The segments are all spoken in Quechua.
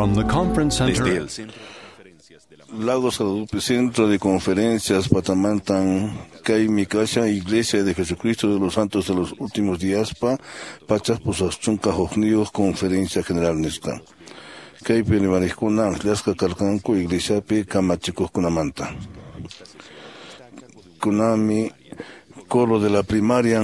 From the conference center. Desde el centro de conferencias de la Lago Salud, Centro de Conferencias Patamantan, Kay Kasha, Iglesia de Jesucristo de los Santos de los Últimos Días, Pa, Pachas Pusachunka Hojnios, Conferencia General Nisqa. Kaypi rimarikuna akllasqa karqanku iglesiapi kamachikuqkunamanta. Kunami coro de la primaria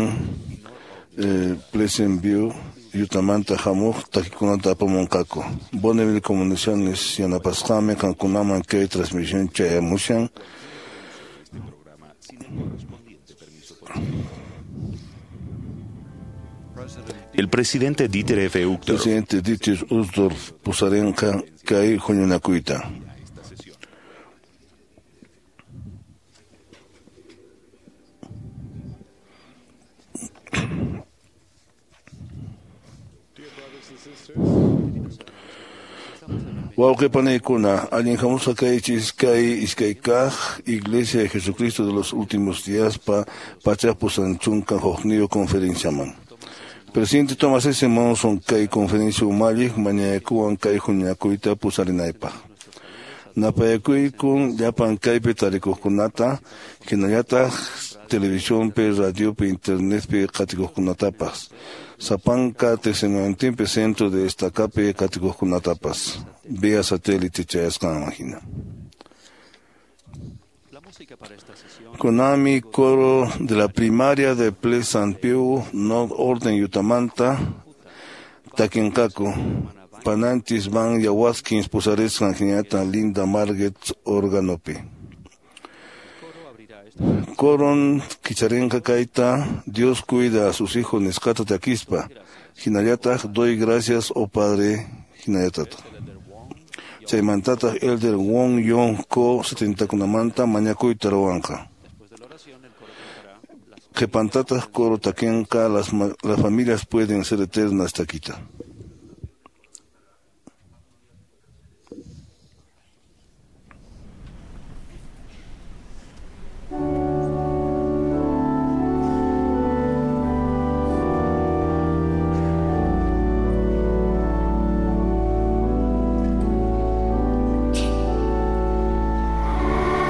Pleasant View Yutamanta hamuq takikunata apamunqaku. Bonneville Comunicaciones yanapasqami qankunaman kay transmisión chayamushan. El presidente Dieter F. Uchtdorf Presidente Dieter Uchtdorf pusarinqa kay huñunakuyta. Wawqi panaykuna, allin hamusqa kaychis kay iskay kaq Iglesia de Jesucristo de los Últimos Días pa pachak pusanchunka hukniyuq conferenciaman. Presidente Thomas S. Monson kay conferencia umalliq mañakuwan kay huñunakuyta pusarinaypaq. Napayakuykun llapan kaypi tarikuqkunata, hinallataq televisionpi, radiopi, internetpi qatikuqkunatapas. Sapanka tiqsimuyuntinpi centro de estacapi qatikuqkunatapas. Vía satélite chayasqanman hina. Konami coro de la primaria de Pleasant View, North Orden Yutamanta, takinqaku. Pananchis Van Yawaskins pusarisqan hinallataq Linda Marget organopi. Coron kicharinqa kayta Dios cuida a sus hijos nisqata takispa. Hinallataq doy gracias, oh Padre, hinallataq. Chaymantataq Elder Wong Yong Ko 70kunamanta mañakuyta ruwanqa. Qhipantataq coro takinqa las familias pueden ser eternas takita.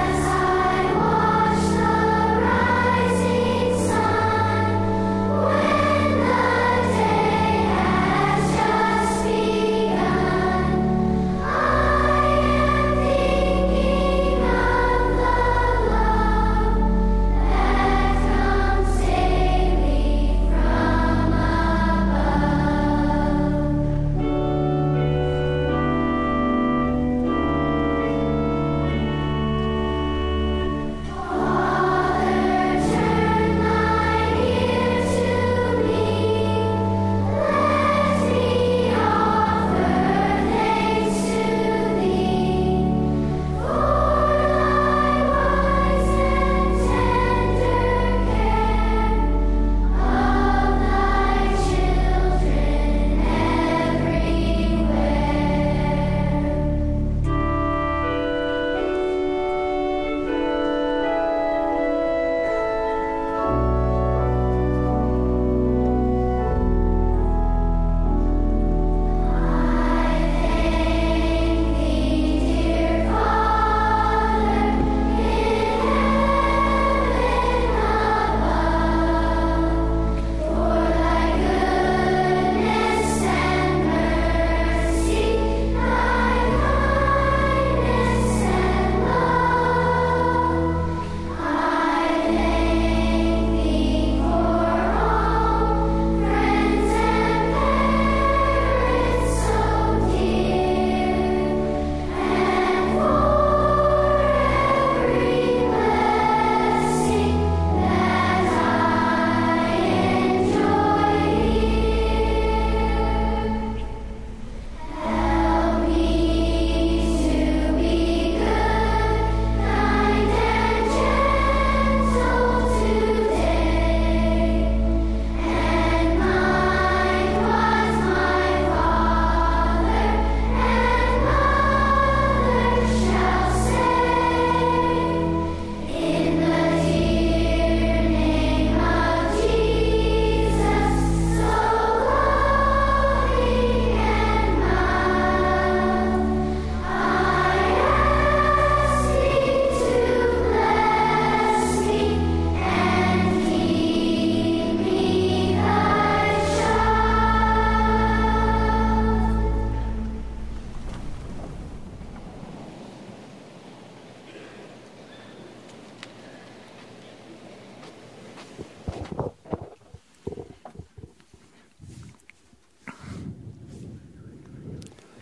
As I watch the rising sun, when the day has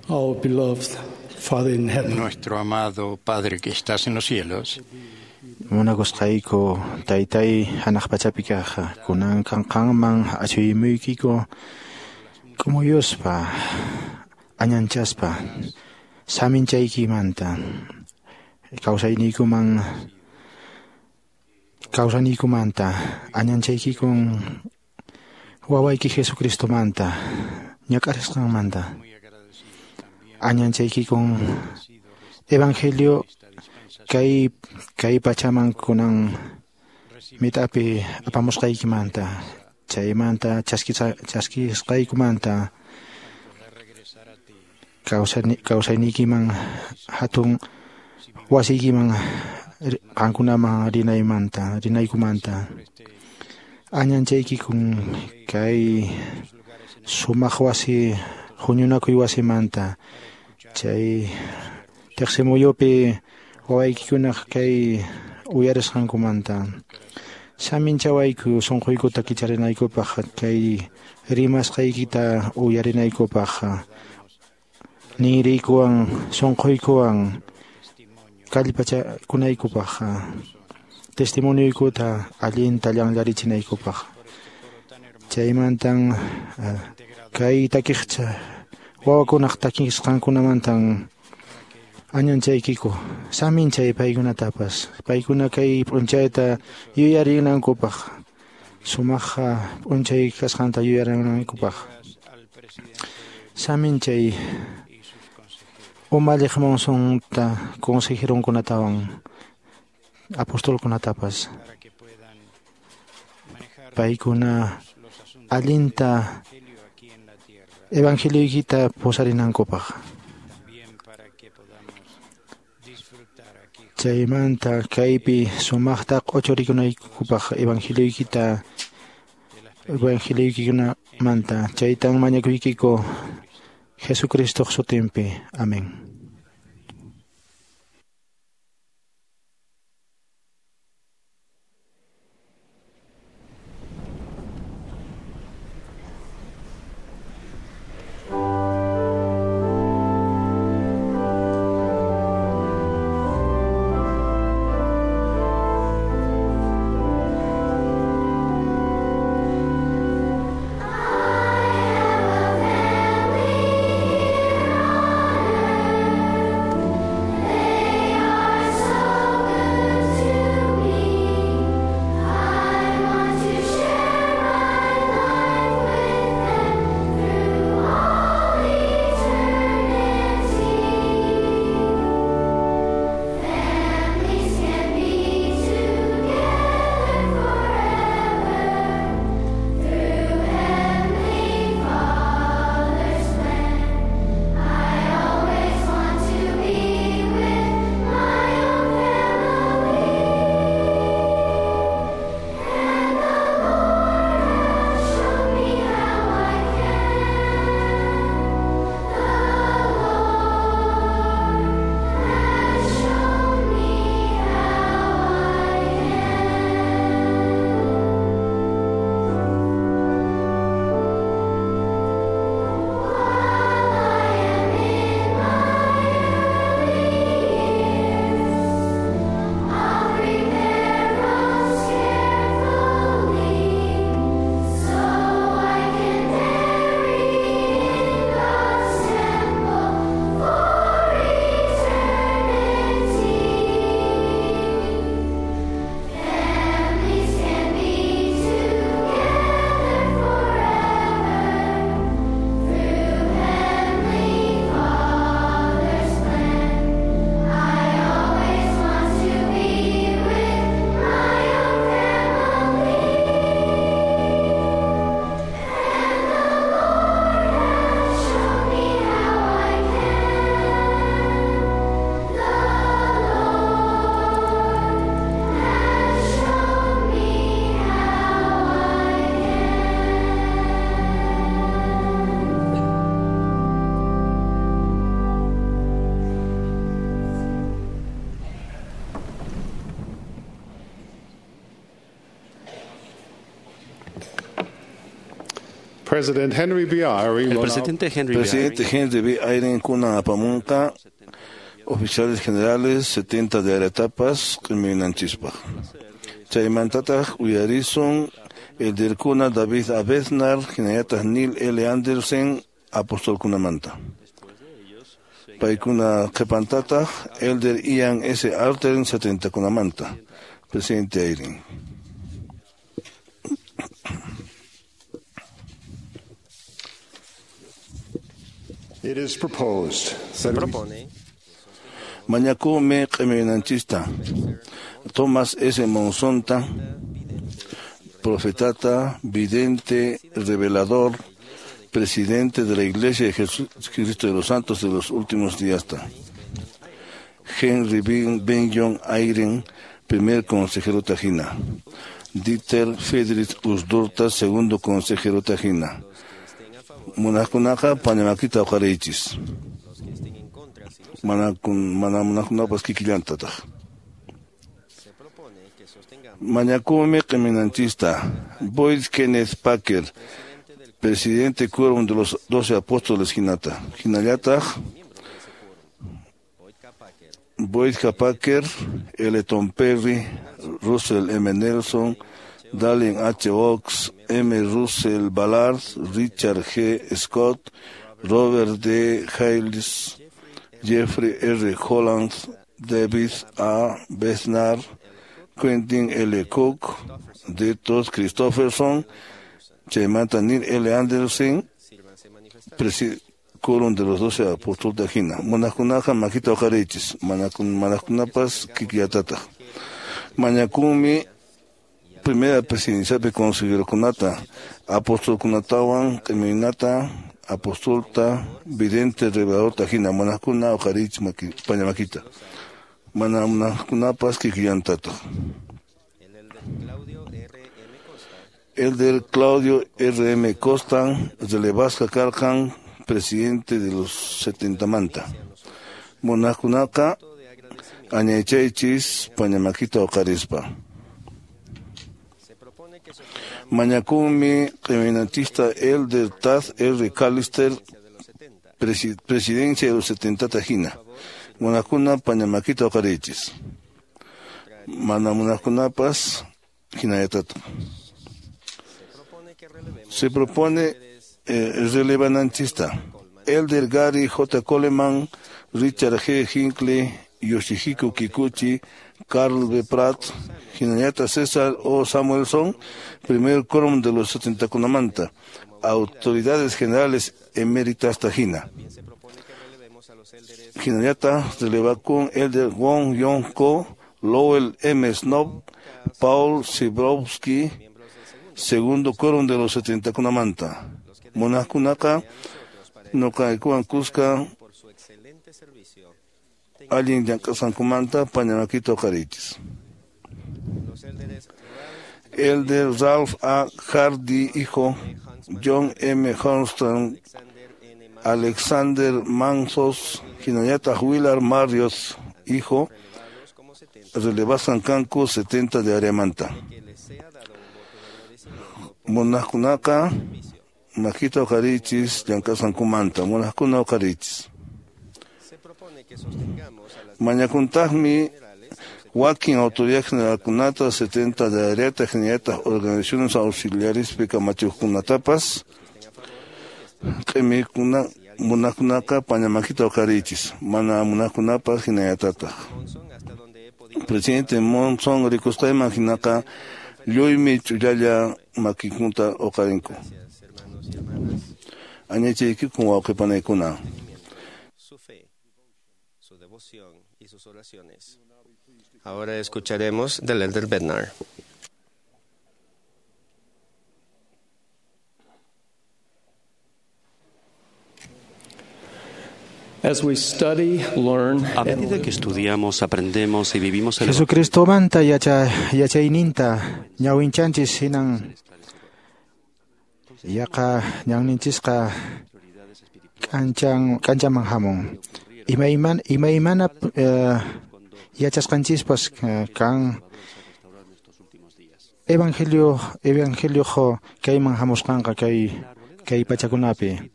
Our beloved Father in heaven, Nuestro amado Padre que estás en los cielos, Munakusqayku taytay hanaq pachapi kaq kunan qanman achuyimuykiku k'umuyuspa añanchaspa saminchaykimanta kawsayniykuman kawsaniykumanta añanchaykikun wawayki Jesucristomanta ñak'arisqanmanta añanchaykikun evangelio kay kay pachaman kunan mit'api apamusqaykimanta chaymanta chaskisqaykumanta kawsayniykiman hatun wasiykiman qankunaman rinaymanta rinaykumanta añanchaykikun kay sumaq wasi huñunakuy wasimanta chay tiqsimuyupi wawaykikunaq kay uyarisqankumanta saminchawayku sunquykuta kicharinaykupaq kay rimasqaykita uyarinaykupaq ninriykuwan sunquykuwan kallpachakunaykupaq testimonioykuta allinta llanllarichinaykupaq chaymantan kay takiqcha wawakunaq takisqankunamantan añanchaykiku saminchay paykunatapas paykuna kay p'unchayta yuyarinankupaq sumaq p'unchay kasqanta yuyarinankupaq saminchay umalliq Monsonta consejeronkunatawan apostolkunatapas paykuna allinta evangelioykita pusarinankupaq chaymanta kaypi sumaqta q'uchurikunaykupaq evangelioykita evangelioykikunamanta chaytan mañakuykiku Jesucristoq sutinpi. Amén. I have a family here on earth. President Henry B. Eyring El presidente Henry B. Presidente Henry B. Eyring kunan apamunqa oficiales generales 70 de aretapas q'iminanchispaq. Chaymantataq uyarisun elderkuna David A. Bednar hinallataq Neil L. Andersen apostolkunamanta. Paykuna qhipantataq Elder Ian S. Arter 70kunamanta. Presidente Eyring. It is proposed Se propone Mañakumi q'iminanchista Thomas S. Monsonta, profetata, vidente, revelador, presidente de la Iglesia de Jesucristo de los Santos de los Últimos Días. Henry Benyon Eyring, primer consejero Tajina. Dieter Friedrich Uchtdorf, segundo consejero Tajina. Munaqkunaqa pañamakita uqariychis. Mana munaqkunapas kikillantataq. Mañakumi q'iminanchista Boyd Kenneth Packer, presidente quórum de los 12 apóstoles hinata. Hinallataq Boyd K. Packer, L. Tom Perry, Russell M. Nelson, Dallin H. Oaks, M. Russell Ballard, Richard G. Scott, Robert D. Hales, Jeffrey R. Holland, David A. Bednar, Quentin L. Cook, D. Todd Christofferson, chaymanta Neil L. Andersen, quórum de los 12 apóstoles de Ajina. Munaqkunaqa makita uqariychis, manaqkunapas kikillatataq. Mañakumi primera presidenciapi consejerokunata, apostolkunatawan q'iminata, apostolta, vidente, revelador tajina, munaqkuna uqariychis pañamakita. Mana munaqkunapas kikillantataq. Elder Claudio R. M. Costa, relevasqa karqan, presidente de los 70 manta. Munaqkunaqa añaychaychis pañamakita uqarispa. Mañakumi q'iminanchista Elder Tad R. Callister, presidencia de los 70 tajina. Munaqkuna pañamakita uqariychis. Mana munaqkunapas hinallatataq. Se propone relevananchista Elder Gary J. Coleman, Richard G. Hinckley, Yoshihiko Kikuchi, Carl B. Pratt, hinallata César O. Samuelson, primer quórum de los 70 kunamanta, autoridades generales eméritas tajina. Hinallata relevakun Elder Wong Yong Ko, Lowell M. Snob, Paul Sibrowski, segundo quórum de los 70 kunamanta. Munaqkunaqa nuqaykuwan kuska allin llank'asqankumanta pañamakita uqariychis. Elder Ralph A. Hardy, hijo, John M. Hornston, Alexander Mansos, hinallataq Willard Marriott, hijo, relevasqan kanku 70 de Ariamanta. Munaqkunaqa makita uqariychis llank'asqankumanta, munaqkuna uqariychis. Mañakuntaqmi wakin autoridad generalkunata 70 de áreata hinallataq organizaciones auxiliarespi kamachiqkunatapas q'imikuna munaqkunaqa pañamakita uqariychis, mana munaqkunapas hinallatataq. Presidente Monson rikusqayman hinaqa lluymi ch'ullalla makinkuta uqarinku. Añaychaykikun wawqipanaykuna. Su fe, su devoción y sus oraciones. Ahora escucharemos del Elder Bednar. As we study, learn, A medida que estudiamos, aprendemos y vivimos el Jesucristomanta yachayninta ñawinchanchis hinan yaqa ñanninchisqa k'anchaman hamun. Imaymana yachasqanchispas kan evangelio kayman hamusqanqa kay kay pachakunapi.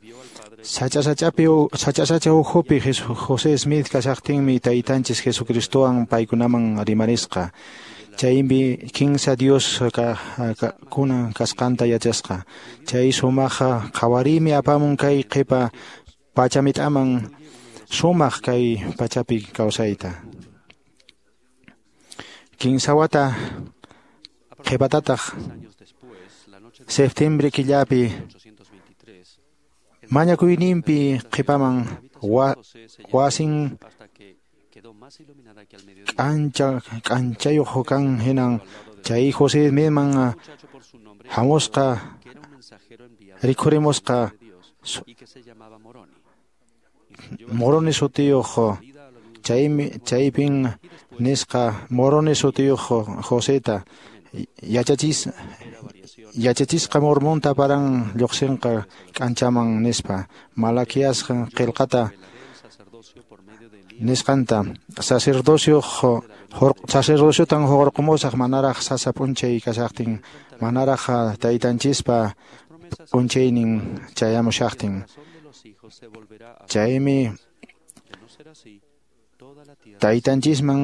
Sacha ukhupi José Smith kashaqtinmi taytanchis Jesucristowan paykunaman rimarisqa. Chaymi kinsa Dios kunan kasqanta yachasqa. Chay sumaqa qhawariymi apamun kay qhipa pachamit'aman sumaq kay pachapi kawsayta. Kinsa wata qhipatataq septiembre killapi mañakuyninpi qhipaman wasin k'anchayuq kan hinan chay José Smithman hamusqa rikhurimusqa Moroni sutiyuq chaypin nisqa Moroni sutiyuq Joseta yachachisqa Mormonta paran lluqsinqa k'anchaman nispa Malaquiasqa qillqata nisqanta sacerdociotan hurqumusaq manaraq sasa p'unchay kashaqtin manaraq taytanchispa p'unchaynin chayamushaqtin. Chaymi taytanchisman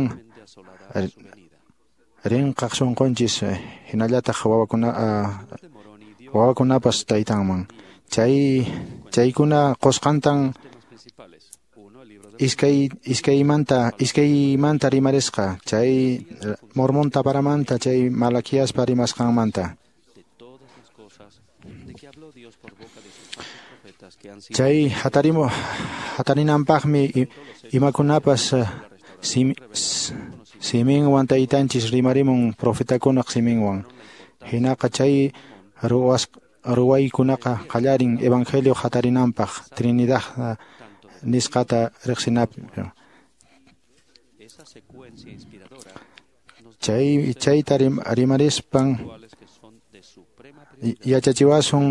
rinqaq sunqunchis hinallataq wawakunapas taytanman. Chaykuna qusqantan iskaymanta rimarisqa chay Mormon taparamanta chay Malaquiaspa rimasqanmanta. Chay hatarinanpaqmi imakunapas siminwan taytanchis rimarimun profetakunaq siminwan. Hinaqa chay ruwaykunaqa qallarin evangelio hatarinanpaq Trinidad nisqata riqsinapi. Chayta rimarispan yachachiwasun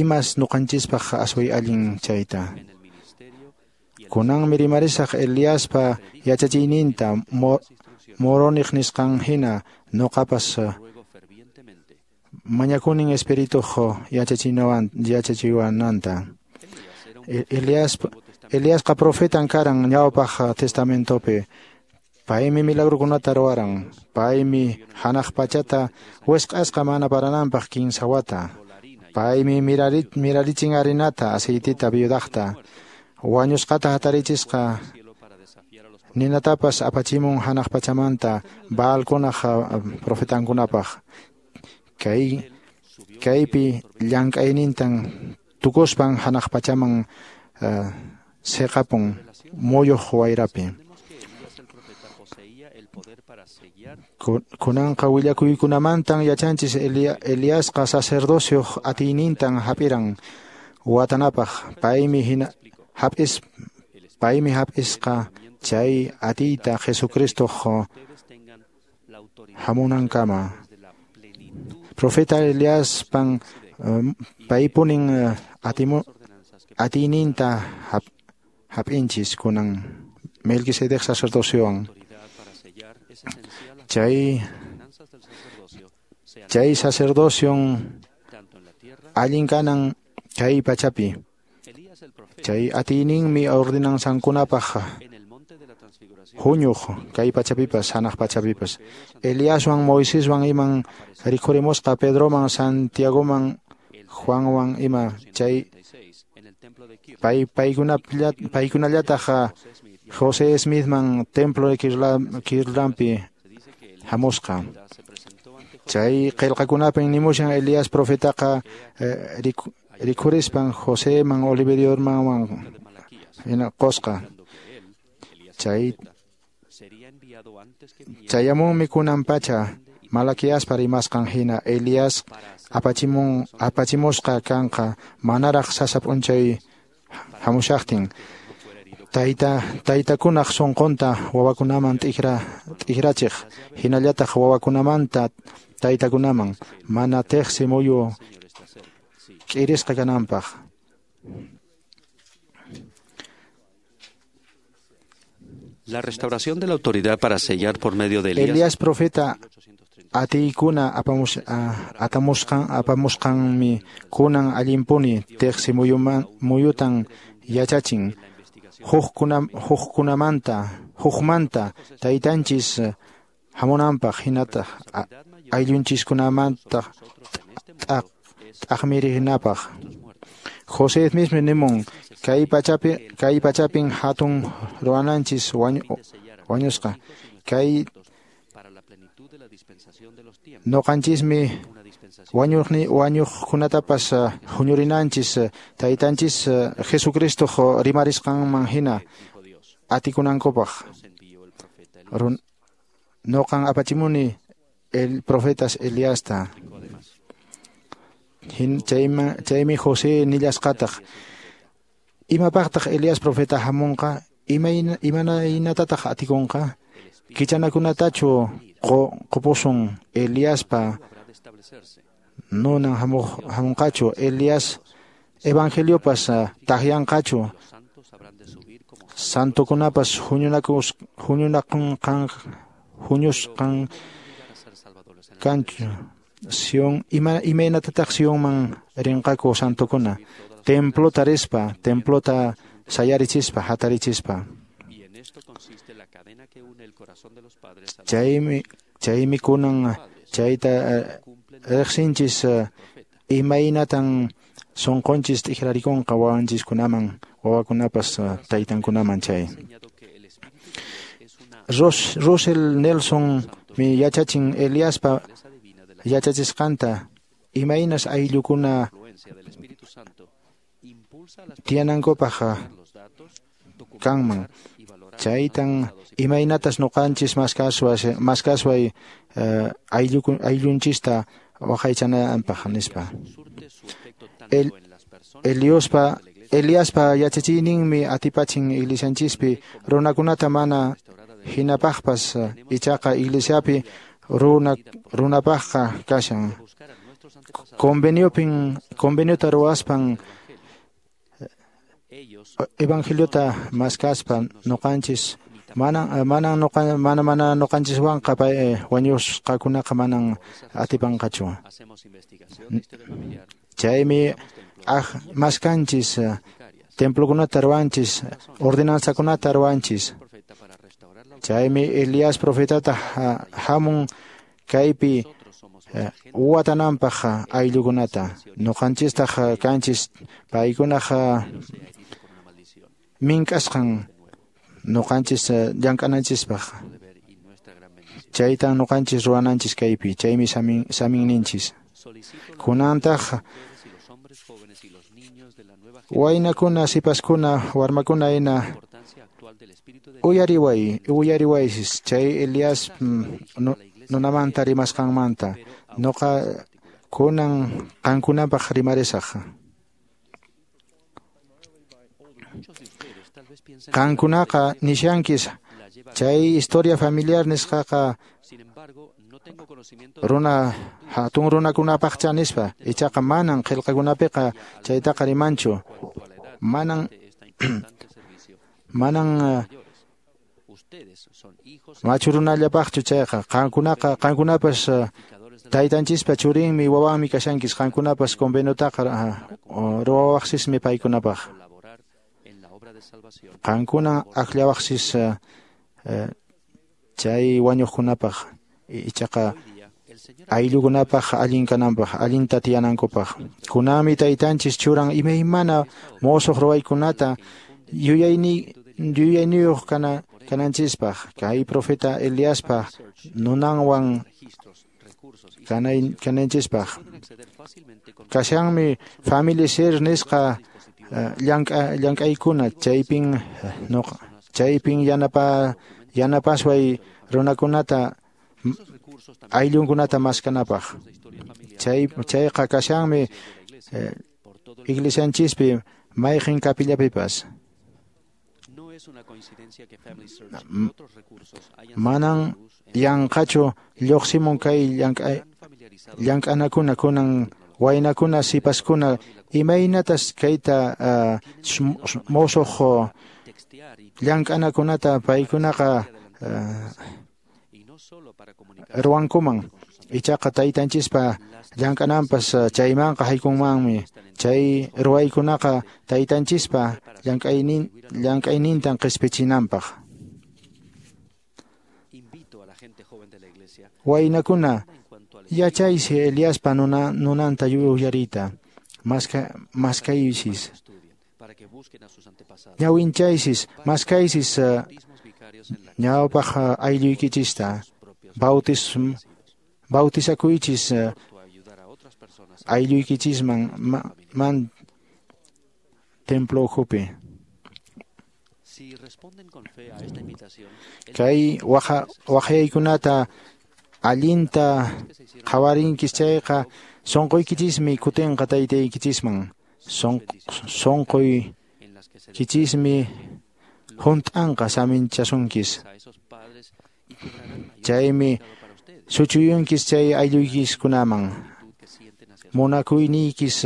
imas nuqanchispaq asway allin chayta. Kunanmi rimarisaq Eliaspa yachachiyninta Moroniq nisqan hina nuqapas mañakunin espirituq yachachiwananta. Eliasqa profetan karan ñawpaq testamentopi. Paymi milagrukunata ruwaran. Paymi hanaq pachata wisq'asqa mana parananpaq kinsa wata. Paymi mirarichin harinata, aceitita viudaqta. Wañusqata hatarichisqa ninatapas apachimun hanaq pachamanta Baalkunaq profetankunapaq. Kaypi llank'aynintan tukuspan hanaq pachaman siqapun muyuq wayrapi. Kunanqa willakuykunamantan yachanchis Eliasqa sacerdocioq atiynintan hap'iran watanapaq. Paymi hap'isqa chay atiyta Jesucristoq hamunankama. Profeta Eliaspan paypunin atiyninta hap'inchis kunan Melquisedec sacerdociowan. Chay sacerdocion allin kanan kay pachapi. Chay atiyninmi ordenanzankunapaq huñuq kay pachapipas hanaq pachapipas. Eliaswan Moiseswan iman rikhurimusqa Pedroman Santiagoman Juanwan ima chay paykunallataq José Smithman templo de Kirtlandpi hamusqa. Chay qillqakunapin nimushan Elías profetaqa rikhurispan Joseman Oliveriomanwan hina qusqa. Chayamunmi kunan pacha Malaquiaspa rimasqan hina Elías apachimusqa kanqa manaraq sasa p'unchay hamushaqtin. Taytakunaq sunqunta wawakunaman t'ikrachiq hinallataq wawakunamanta taytakunaman mana tiqsi muyu k'irisqa kananpaq. La restauración de la autoridad para sellar por medio de Elías. Elías profeta atiykuna apamusqanmi kunan allinpuni teqsi muyutan yachachin hukmanta taytanchis hamunanpaq hinataq ayllunchiskunamanta t'aqmirinapaq. José mismo nimun kay pachapin hatun ruwananchis wañusqa kay noqanchismi wañuqkunatapas huñurinanchis taytanchis Jesucristo rimarisqanman hina atikunankupaq. Noqan apachimuni el profetas Eliasta. Chaymi José nillasqataq imapaqtaq Elías profeta hamunqa imaynatataq atikunqa kichanakunatachu qupusun Eliaspa nunan hamunqachu Elías evangeliopas taqyanqachu santokunapas huñusqan kanchu Sion imaynatataq Sionman rinqaku santokuna templota rispa templota sayarichispa hatarichispa. Chaymi kunan chayta riqsinchis imaynatan sunqunchis t'ikrarikunqa wawanchiskunaman wawakunapas taytankunaman chay. Russell Nelson mi yachachin Eliaspa yachachisqanta imaynas ayllukuna tiyanankupaq kanman chaytan imaynatas nuqanchis maskasway ayllunchista waqaychananpaq nispa. Eliaspa yachachiyninmi atipachin iglesianchispi runakunata mana hinapaqpas ichaqa iglesiapi runapaqqa kashan conveniota ruwaspan evangeliota maskaspa nuqanchis mana nuqanchiswanqa wañusqakunaqa manan atipanqachu. Chaymi maskanchis templokunata ruwanchis ordenanzakunata ruwanchis. Chaymi Elías profetata hamun kaypi watananpaq ayllukunata nuqanchistaq kanchis paykunaq mink'asqan nuqanchis llank'ananchispaq chaytan nuqanchis ruwananchis kaypi chaymi saminninchis. Kunantaq waynakuna sipaskuna warmakuna hina uyariwaysis chay Elías nunamanta rimasqanmanta noqa kunan qankunapaq rimarisaq. Qankunaqa nishankis chay historia familiar nisqaqa runa hatun runakunapaqcha nispa ichaqa manan qillqakunapiqa chaytaqa rimanchu manan machu runallapaqchu chayqa qankunapas taytanchispa churinmi wawanmi kashankis qankunapas conveniotaqa ruwawaqsismi paykunapaq qankuna akllawaqsis chay wañuqkunapaq ichaqa ayllukunapaq allin kananpaq allinta tiyanankupaq. Kunanmi taytanchis churan imaymana musuq ruwaykunata yuyayniyuq kananchispaq kay profeta Eliaspa nunanwan kananchispaq. Kashanmi Family Search nisqa llank'aykuna chaypin yanapasway runakunata ayllunkunata maskanapaq. Chayqa kashanmi iglesianchispi mayqin capillapipas. Manan yanqachu lluqsimun kay llank'anakuna kunan waynakuna sipaskuna imaynatas kayta musuq llank'anakunata paykunaqa ruwankuman. Ichaqa taytanchispa llank'ananpas chaymanqa haykunmanmi. Chay ruwaykunaqa taytanchispa llank'aynintan qispichinanpaq. Waynakuna, yachaysi Eliaspa nunanta uyariyta, maskaysis. Ñawinchaysis, maskaysis ñawpaq aylluykichista, bautizakuychis aylluykichisman man templo ukhupi. Kay waqaykunata allinta qhawarinkis chayqa sunquykichismi kutinqa taytaykichisman. Sunquykichismi hunt'anqa saminchasunkis. Chaymi suchuyunkis chay aylluykiskunaman. Munakuyniykis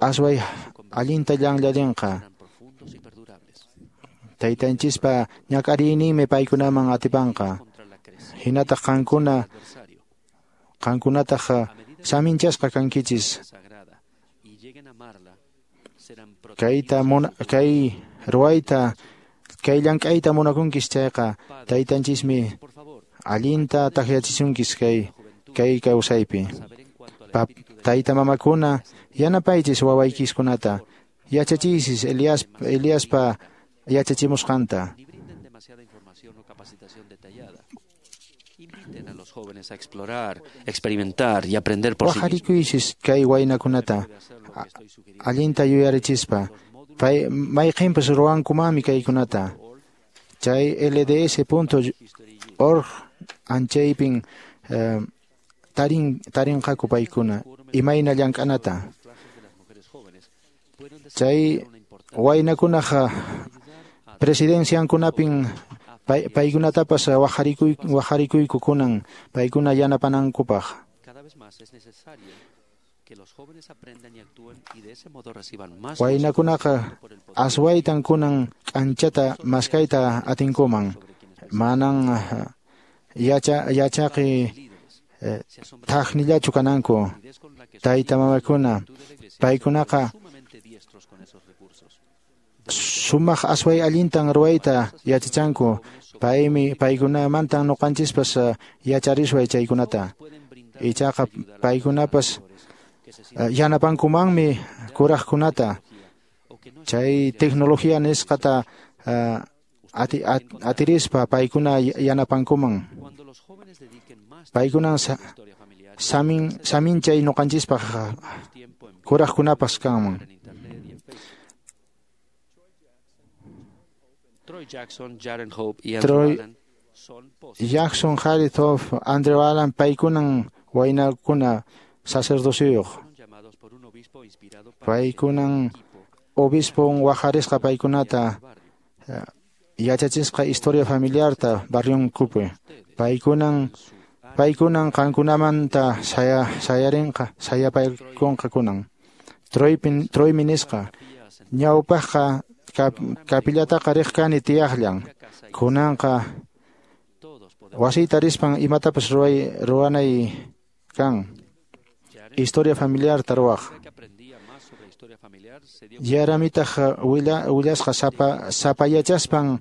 asway allinta llanllarinqa. Taytanchispa ñak'ariyninmi paykunaman atipanqa. Hinataq qankunataq saminchasqa kankichis. Kay ruwayta, kay llank'ayta munakunkis chayqa taytanchismi allinta takyachisunkis kay kawsaypi. Tayta mamakuna yanapaychis wawaykiskunata, yachachiysis Eliaspa yachachimusqanta. Inviten a los jóvenes a explorar, experimentar y aprender por sí mismos. Wajarikuysis kay waynakunata allinta yuyarichispa. Mayqinpas ruwankumanmi kaykunata. Chay lds.org anchaypin tarinqaku paykuna imayna llank'anata. Chay waynakunaqa presidenciankunapin paykunatapas wajarikuyku kunan paykuna yanapanankupaq. Waynakunaqa aswaytan kunan k'anchata maskayta atinkuman. Manan yachaqi thaqnillachu kananku. Tayta mamakuna paykunaqa sumaq asway allintan ruwayta yachachanku. Paykunamantan nuqanchispas yacharisway chaykunata. Ichaqa paykunapas yanapankumanmi kuraqkunata. Chay tecnología nisqata atirispa paykuna yanapankuman. Paykunan saminchay nuqanchispaq kuraqkunapas kanman. Troy Jackson, Jaren Hope y Andrew Allen son Jackson, Jared Hope, Andrew Allen paykunan waynakuna sacerdociyuq. Paykunan obispon wajarisqa paykunata yachachisqa historia familiarta barrionkupi. Paykunan qankunamanta sayarinqa sayapaykunqa kunan. Troymi nisqa ñawpaqqa kapillataqa riq kani tiyaqllan. Kunanqa wasiyta rispan imatapas ruwanay kan. Historia familiarta ruwaq. Yaramitaq willasqa sapayachaspan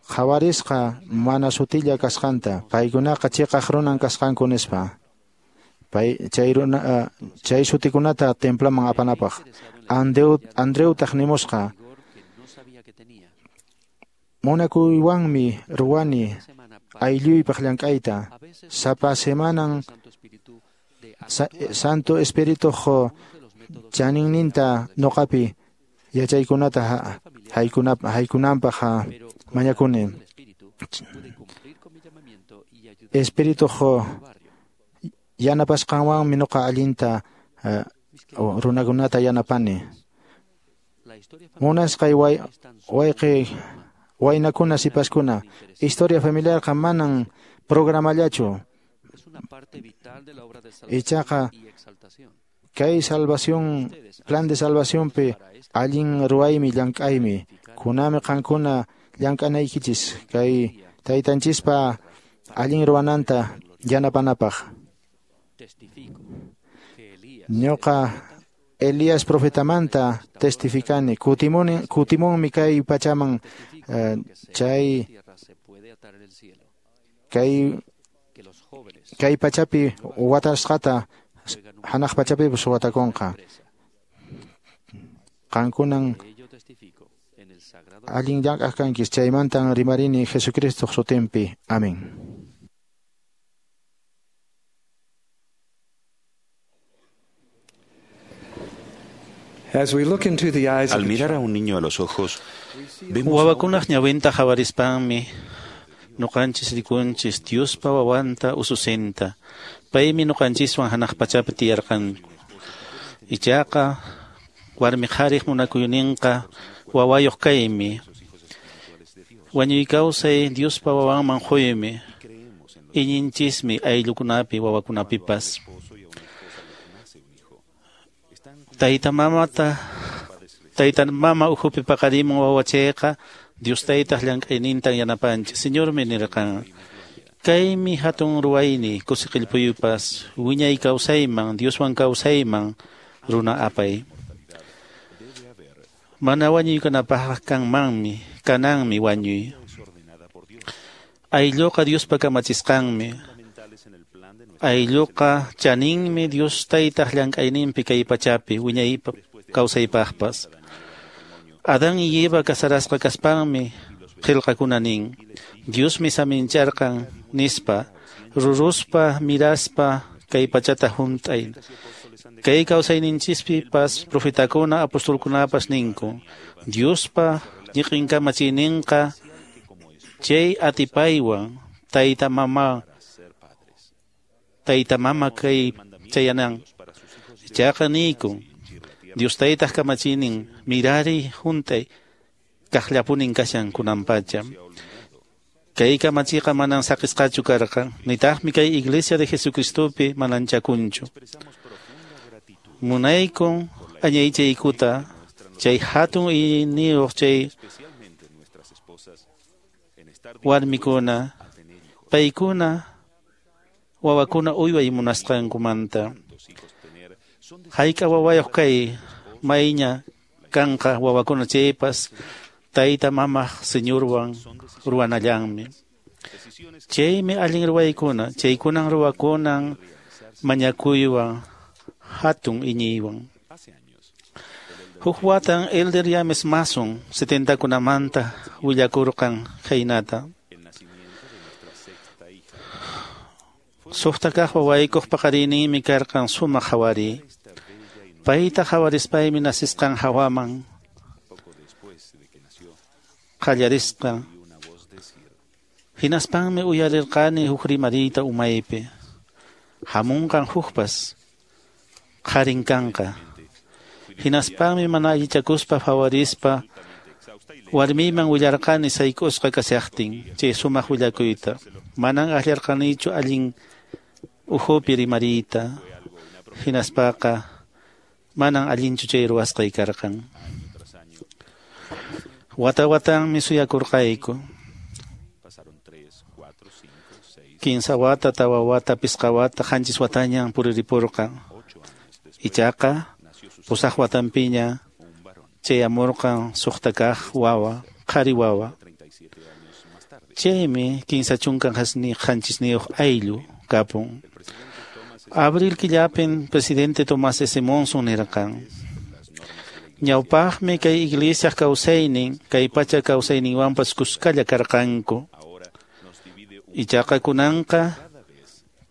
qhawarisqa mana sutilla kasqanta. Paykunaqa chiqaq runan kasqanku nispa. Chay sutikunata templaman apanapaq. Andrewtaq nimusqa: Munakuywanmi ruwani aylluypaq llank'ayta. Sapa semanan Santo Espirituq chaninninta nuqapi yachaykunata haykunanpaq mañakuni. Espirituq yanapasqanwanmi nuqa allinta runakunata yanapani. Munasqay wayqi waynakuna sipaskuna, historia familiarqa manan programallachu. Ichaqa kay salvación, plan de salvacionpi allin ruwaymi llank'aymi. Kunami qankuna llank'anaykichis kay taytanchispa allin ruwananta yanapanapaq. Ñuqa Elías profetamanta testificani, kutimunmi kay pachaman, chay kay pachapi watasqata hanaq pachapipas watakunqa. Qankunan allin llank'aq kankis, chaymantan rimarini Jesucristo sutinpi. Amén. Al mirar a un niño a los ojos, vemos Wawakunaq ñawinta qhawarispanmi nuqanchis rikunchis Diospa wawanta ususinta. Paymi nuqanchiswan hanaq pachapi tiyarqanku. Ichaqa warmi qhariq munakuyninqa wawayuq kaymi. Wañuy kawsay Diospa wawanman quymi. Iñinchismi ayllukunapi wawakunapipas. Tayta mama ukhupi paqarimun wawachayqa Dios taytaq llank'aynintan yanapanchis. Señormi nirqan, kaymi hatun ruwayni kusiqillpuyupas wiñay kawsayman Dioswan kawsayman runa apay. Mana wañuy kanapaqqa kananmi wañuy. Aylluqa Diospa kamachisqanmi. Aylluqa chaninmi Dios taytaq llank'ayninpi kay pachapi wiñay kawsaypaqpas. Adán y Eva casarasqa kaspanmi qillqakuna nin, Diosmi samincharqan nispa, ruruspa miraspa kay pachata hunt'ay. Kay kawsayninchispipas profetakuna apostolkunapas ninku, Diospa ñiqin kamachiyninqa chay atipaywan tayta mama kay chayanan. Ichaqa niykun, Dios taytaq kamachiynin mirari hunt'ay kaqllapunin kashan kunanpacha. Kay kamachiqa manan saqisqachu karqan, nitaqmi kay Iglesia de Jesucristopi mananchakunchu. Munaykun añaychaykuta chay hatun iñiyniyuq chay warmikuna, paykuna wawakuna uyway munasqankumanta. Hayk'a wawayuq kay mayña kanqa wawakuna chaypas tayta mamaq Señorwan ruwanallanmi. Chaymi allin ruwaykuna, chaykunan ruwakunan mañakuywan hatun iñiywan. Huk watan Elder James Mason 70kunamanta willakurqan khaynata. Suqta kaq wawaykuq paqarinninmi karqan sumaq hawari. Payta hawarispaymi nasisqan hawaman qallarisqa. Hinaspanmi uyarirqani huk rimariyta umaypi. Hamunqan hukpas qharin kanqa. Hinaspanmi mana allichakuspa hawarispa warmiyman willarqani sayk'usqa kashaqtin chay sumaq willakuyta. Manan akllarqanichu allin ukhupi rimariyta. Hinaspaqa manan allinchu chay ruwasqay karqan. Wata watanmi suyakurqayku. 15 wata, 4 wata, 5 wata, 7 watañan puriripurqan. Ichaqa 8 watanpiña chayamurqan suqta kaq wawa, qhari wawa. Chaymi 37 ayllu kapun. Abril killapin presidente Tomás S. Monson nirqan, ñawpaqmi kay iglesia kawsaynin, kay pacha kawsayninwanpas kuskalla karqanku. Ichaqa kunanqa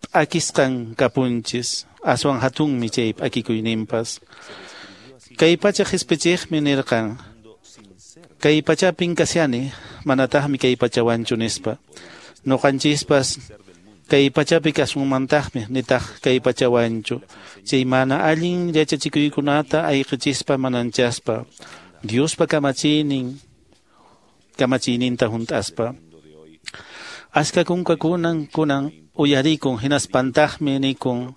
p'akisqan kapunchis, aswan hatunmi chay p'akikuyninpas. Kay pacha qhispichiqmi nirqan, kay pachapin kashani, manataqmi kay pachawanchu nispa. Nuqanchispas kay pachapi kasunmantaqmi, nitaq kay pachawanchu. Chay mana allin yachachikuykunata ayqichispa mananchaspa, Diospa kamachiyninta hunt'aspa. Ashka kunkakunan kunan uyarikun hinaspantaqmi nikun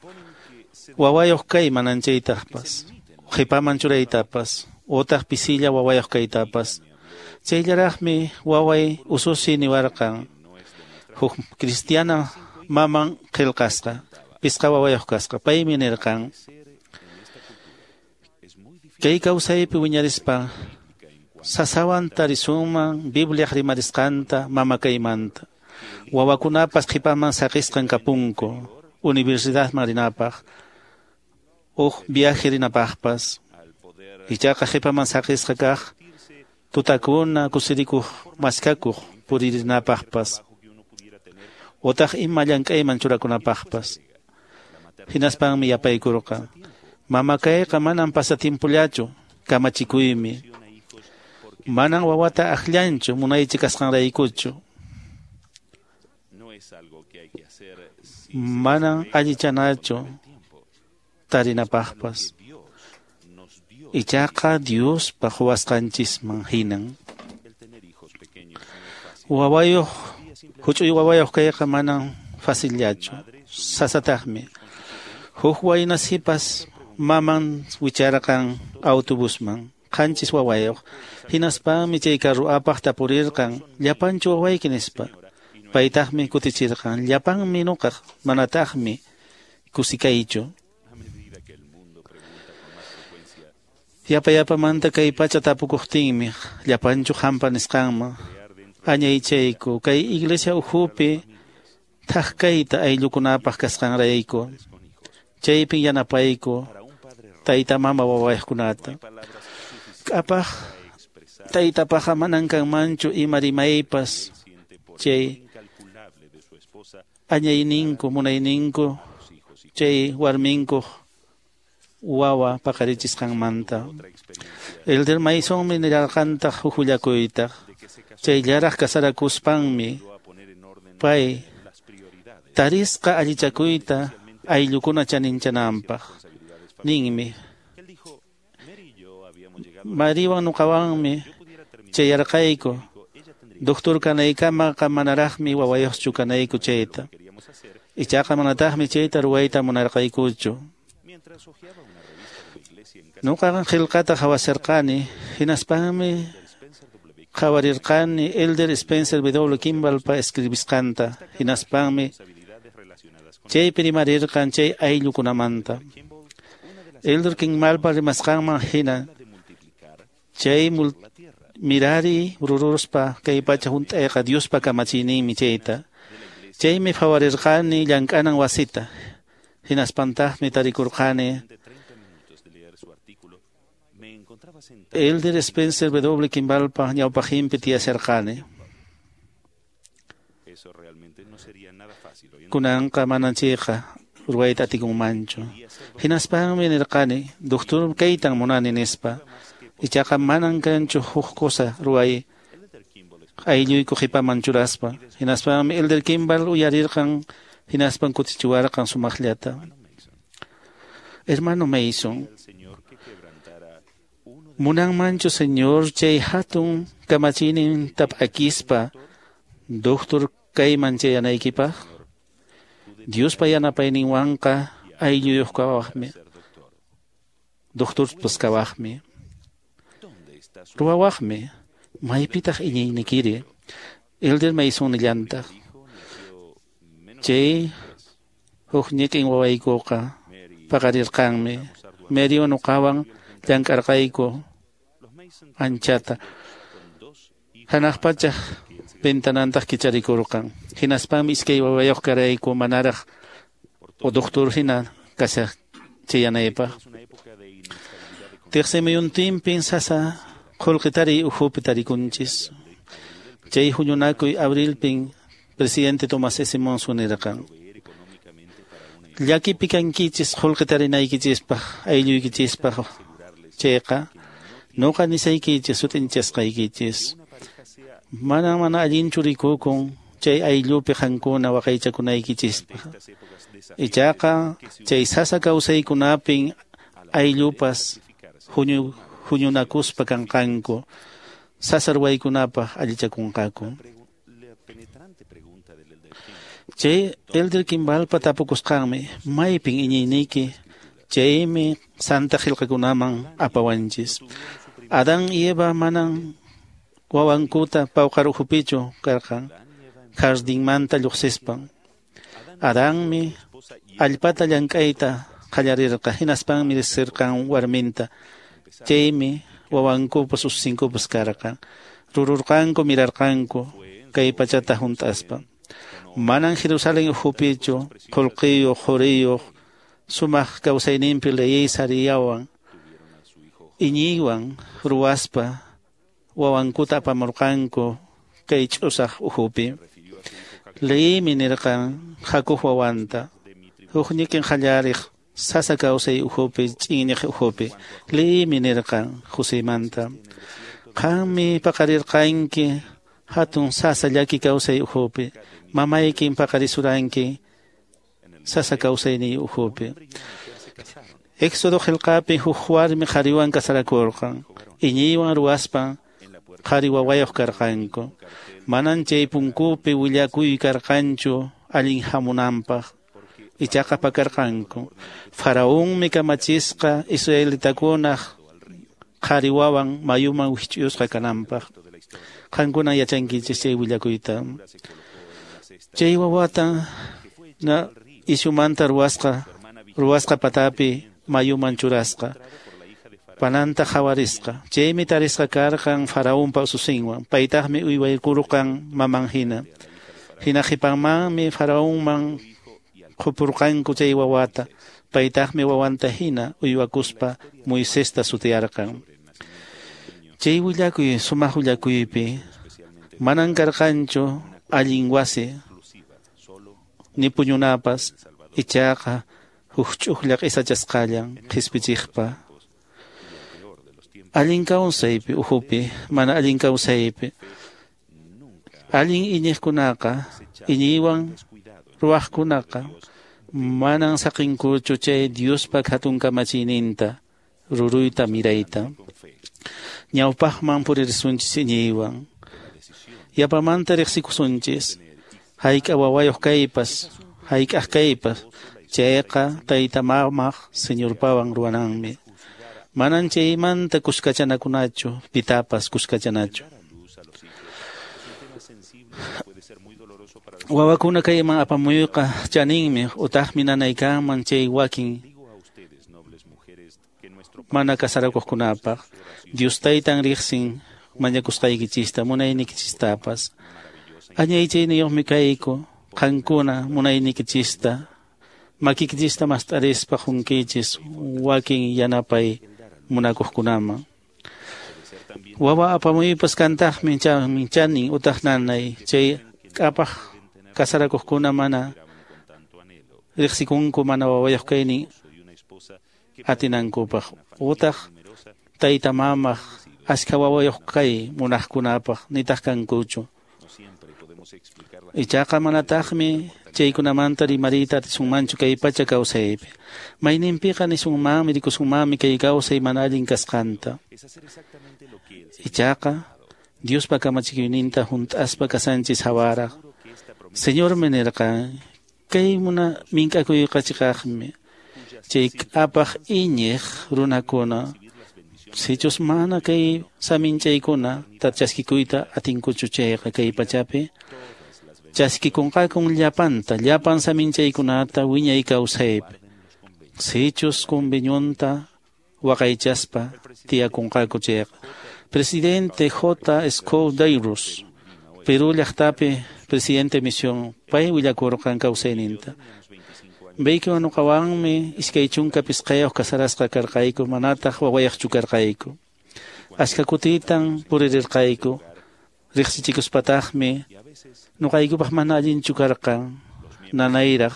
wawayuq kay mananchaytaqpas, qhipaman churaytapas, utaq pisilla wawayuq kaytapas. Chayllaraqmi waway ususi niwarqan, huk cristiana maman qillqasqa, pisqa wawayuq kasqa. Paymi nirqan: Kay kawsaypi wiñarispa sasawan tarisunman Bibliaq rimarisqanta mama kaymanta. Wawakunapas qhipaman saqisqan kapunku universidadman rinapaq, huk viaje rinapaqpas. Ichaqa qhipaman saqisqa kaq tutakuna kusirikuq maskakuq puririnapaqpas, otaq ima llank'ayman churakunapaqpas. Hinaspanmi yapaykurqa: Mama kayqa manan pasatimpullachu, kamachikuymi. Manan wawata akllanchu munaychi kasqanraykuchu. Manan allichanachu tarinapaqpas. Ichaqa Diospa quwasqanchisman hinan. Wawayuq, huch'uy wawayuq kayqa manan facillachu, sasataqmi. Huk wayna sipas maman wicharqan autobusman, qanchis wawayuq. Hinaspanmi chay carro apaq tapurirqan: llapanchu wawayki nispa. Paytaqmi kutichirqan: llapanmi nuqaq, manataqmi kusikaychu. Yapa yapamanta kay pacha tapukuqtinmi llapanchu hampa nisqanman añaychayku kay iglesia ukhupi thak kayta ayllukunapaq kasqanrayku. Chaypin yanapayku tayta mama wawayuqkunata. K'apaq taytapaqa manan kanmanchu ima rimaypas chay añayninku munayninku chay warminkuq wawa paqarichisqanmanta. Elder Masonmi nirarqantaq huk willakuytaq. Chayllaraq kasarakuspanmi pay tarisqa allichakuyta ayllukuna chaninchananpaq. Ninmi: Mariwan nuqawanmi chayarqayku, doctor kanaykamaqa manaraqmi wawayuqchu kanayku chayta. Ichaqa manataqmi chayta ruwayta munarqaykuchu. Nuqaqa qillqata qhawasharqani, hinaspanmi qhawarirqani Elder Spencer W. Kimballpa escribisqanta, hinaspanmi chaypi rimarirqan chay ayllukunamanta. Elder Kimballpa rimasqanman hina chay mirari ruruspa kay pacha hunt'ayqa Diospa kamachiyninmi chayta. Chaymi phawarirqani llank'anan wasita. Hinaspantaqmi tarikurqani Elder Spencer W. Kimballpa ñawpaqinpi tiyasharqani. Kunanqa manan chayqa ruwayta atikunmanchu. Hinaspanmi nirqani: doctor kaytan munani nispa. Ichaqa manan kanchu huk cosa ruway aylluyku qhipaman churaspa. Hinaspanmi Elder Kimball uyarirqan, hinaspan kutichiwarqan sumaqllata. Hermano Mason, munanmanchu Señor chay hatun kamachiynin tap'akispa doctor kayman chayanaykipaq? Diospa yanapayninwanqa aylluyuq kawaqmi, doctorpas kawaqmi, ruwawaqmi. Maypitaq iñiynikiri? Elder Mason nillantaq: chay huk ñiqin wawaykuqa paqarirqanmi. Mary nuqawan llank'arqayku anchata. Hanaq pachaq ventanantaq kicharikurqan. Hinaspanmi iskay wawayuq karayku manaraq o doctor hina kashaq chayanaypaq. Tiqsimuyuntinpin sasa qullqi tariy ukhupi tarikunchis. Chay huñunakuy abrilpin presidente Thomas S. Monson nirqan: llakipi kankichis qullqi tarinaykichispaq aylluykichispaq chayqa nuqa nisaykichis sut'inchasqaykichis. Mana mana allinchu rikukun chay ayllupi qankuna waqaychakunaykichispaq. Ichaqa chay sasa kawsaykunapin ayllupas huñunakuspa kanqanku, sasa ruwaykunapaq allichakunqaku. Chay Elder Kimballpa tapukusqanmi: maypin iñiyniyki? Chaymi santa qillqakunaman apawanchis. Adán y Eva manan wawankuta pawqar ukhupichu karqan jardinmanta lluqsispan. Adanmi allpata llank'ayta qallarirqa, hinaspanmi riqsirqan warminta. Chaymi wawankupas ususinkupas karqan. Rururqanku mirarqanku kay pachata hunt'aspa. Manan Jerusalén ukhupichu qullqiyuq quriyuq sumaq kawsayninpi leyey sariyawan iñiywan ruwaspa wawankuta apamurqanku kay ch'usaq ukhupi. Leymi nirqan Jacob wawanta huk ñiqin qallariq sasa kawsay ukhupi ch'inñiq ukhupi. Leymi nirqan Josemanta qanmi paqarirqanki hatun sasa llaki kawsay ukhupi, mamaykin paqarisuranki sasa kawsayniy ukhupi. Éxodo qillqapi huk warmi qhariwan kasarakurqan, iñiywan ruwaspan qhari wawayuq karqanku. Manan chay punkupi willakuy karqanchu allin hamunanpaq, ichaqa pakarqanku. Faraonmi kamachisqa israelitakunaq qhari wawan mayuman wikch'uyusqa kananpaq. Qankuna yachankichis chay willakuyta. Chay wawata na ishumanta ruwasqa patapi mayuman churasqa, pananta qhawarisqa. Chaymi tarisqa karqan faraonpa ususinwan, paytaqmi uywaykurqan maman hina. Hina qhipanmanmi faraonman qupurqanku chay wawata, paytaqmi wawanta hina uywakuspa Moisesta sutiyarqan. Chay willakuy sumaq willakuypi manan karqanchu allin wasi ni puñunapas, ichaqa huk ch'uqlla q'isachasqallan qhispichiqpa. Allin kawsaypi ukhupi, mana allin kawsaypi. Allin iñiqkunaqa, iñiywan ruwaqkunaqa manan saqinkuchu chay Diospa hatun kamachiyninta ruruyta mirayta. Ñawpaqman puririsunchis iñiywan. Yapamanta riqsikusunchis hayk'a wawayuq kaypas, hayk'aq kaypas, chayqa tayta mamaq Señorpawan ruwananmi. Manan chaymanta kuskachanakunachu, pitapas kuskachanachu. Wawakuna kayman apamuyqa chaninmi utaqmi nanaykanman chay wakin mana kasarakuqkunapaq. Dios taytan riqsin mañakusqaykichista, munaynikichistapas. Añaychayniyuqmi kayku, qankuna munaynikichista, makikichista mast'arispa qunkichis wakin yanapay munakuqkunaman. Wawa apamuypas kantaqmi chanin utaq nanay, chay k'apaq kasarakuqkuna mana riqsikunku mana wawayuq kaynin atinankupaq, utaq tayta mamaq ashka wawayuq kay munaqkunapaq nitaq kankuchu. Ichaqa manataqmi chaykunamanta rimariyta atisunmanchu kay pacha kawsaypi. Mayninpiqa nisunmanmi rikusunmanmi kay kawsay mana allin kasqanta. Ichaqa Diospa kamachikuyninta hunt'aspa kasanchis hawaraq. Señormi nirqan kay muna mink'akuyqa chiqaqmi. Chay k'apaq iñiq runakuna sichus mana kay saminchaykuna chaskikuyta atinkuchu chayqa kay pachapi chaskikunqakun llapanta, llapan saminchaykunata wiñay kawsaypi. Sichus conveniunta waqaychaspa tiyakunqaku chayqa. Presidente J. Scott Dairus, Perú llaqtapi presidente misión, pay willakurqan kawsayninta. Baykiwan nuqawanmi 25 kasarasqa karqayku, manataq wawayaqchu karqayku. Ashka kutitan puririrqayku, riqsichikuspataqmi nuqaykupaq mana allinchu karqan, nanayraq.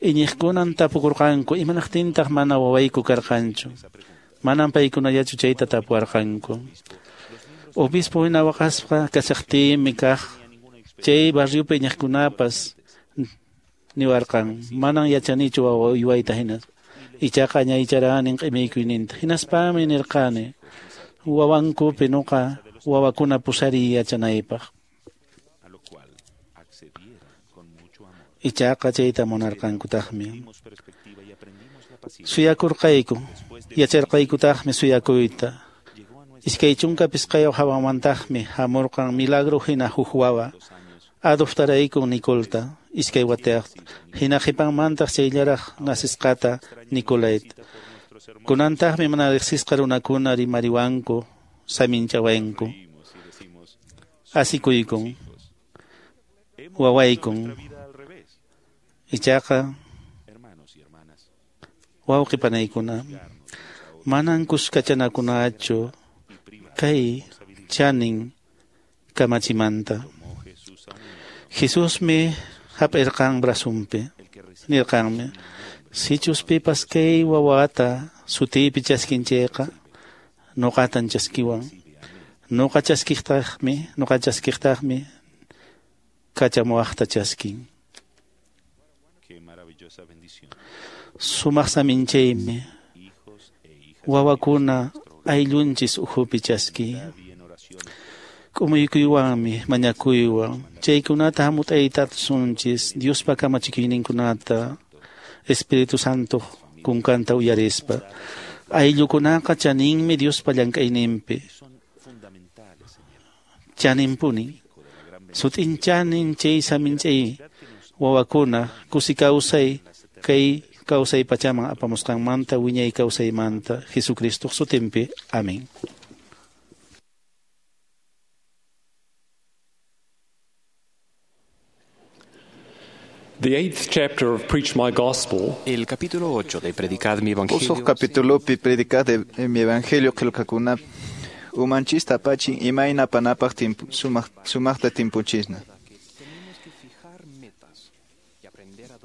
Iñiqkunan tapukurqanku, imanaqtintaq mana wawayku karqanchu. Manan paykunallachu chayta tapuwarqanku. Obispo hina waqaspa kashaqtiymi kaq chay barriopi iñiqkunapas niwarqan, manan yachanichu wawa uywayta hina. Ichaqa añaycharanin q'imiykuyninta. Hinaspami nirqani wawankupi nuqa wawakuna pusariy yachanaypaq. Ichaqa chayta munarqankutaqmi. Suyakurqayku, yacharqaykutaqmi suyakuyta. 25 hawamantaqmi hamurqan milagro hina huk wawa. Adoptaraykun Nicolta. iskay watayuqta, hina qhipanmantaq chayllaraq nasisqata Nicolait. Kunantaqmi mana riqsisqa runakuna rimariwanku, saminchawanku, asikuykun, wawaykun. Ichaqa wawqi panaykuna, manan kuskachanakunachu kay chanin kamachimanta. Jesusmi hap'irqan brazunpi, nirqanmi, sichus pipas kay wawata sutiypi chaskin chayqa, nuqatan chaskiwan. Nuqa chaskiqtaqmi kachamuwaqta chaskin. Sumaq saminchaymi wawakuna ayllunchis ukhupi chaski. K'umuykuywanmi mañakuywan chaykunata hamut'aytasunchis Diospa kamachikuyninkunata Espíritu Santo kunkanta uyarispa. Ayllukunaqa chaninmi Diospa llank'ayninpi. Chaninpuni. Sut'in chanin chay saminchay wawakuna kusi kawsay kay kawsay pachaman apamusqanmanta wiñay kawsaymanta Jesucristo sutinpi. Amén. The eighth chapter of Preach My Gospel. El capítulo 8 de Predicad mi Evangelio. Usuq capítulopi Predicad mi Evangelio qillqakuna umanchista apachin imayna apanapaq sumaqta timpunchisna.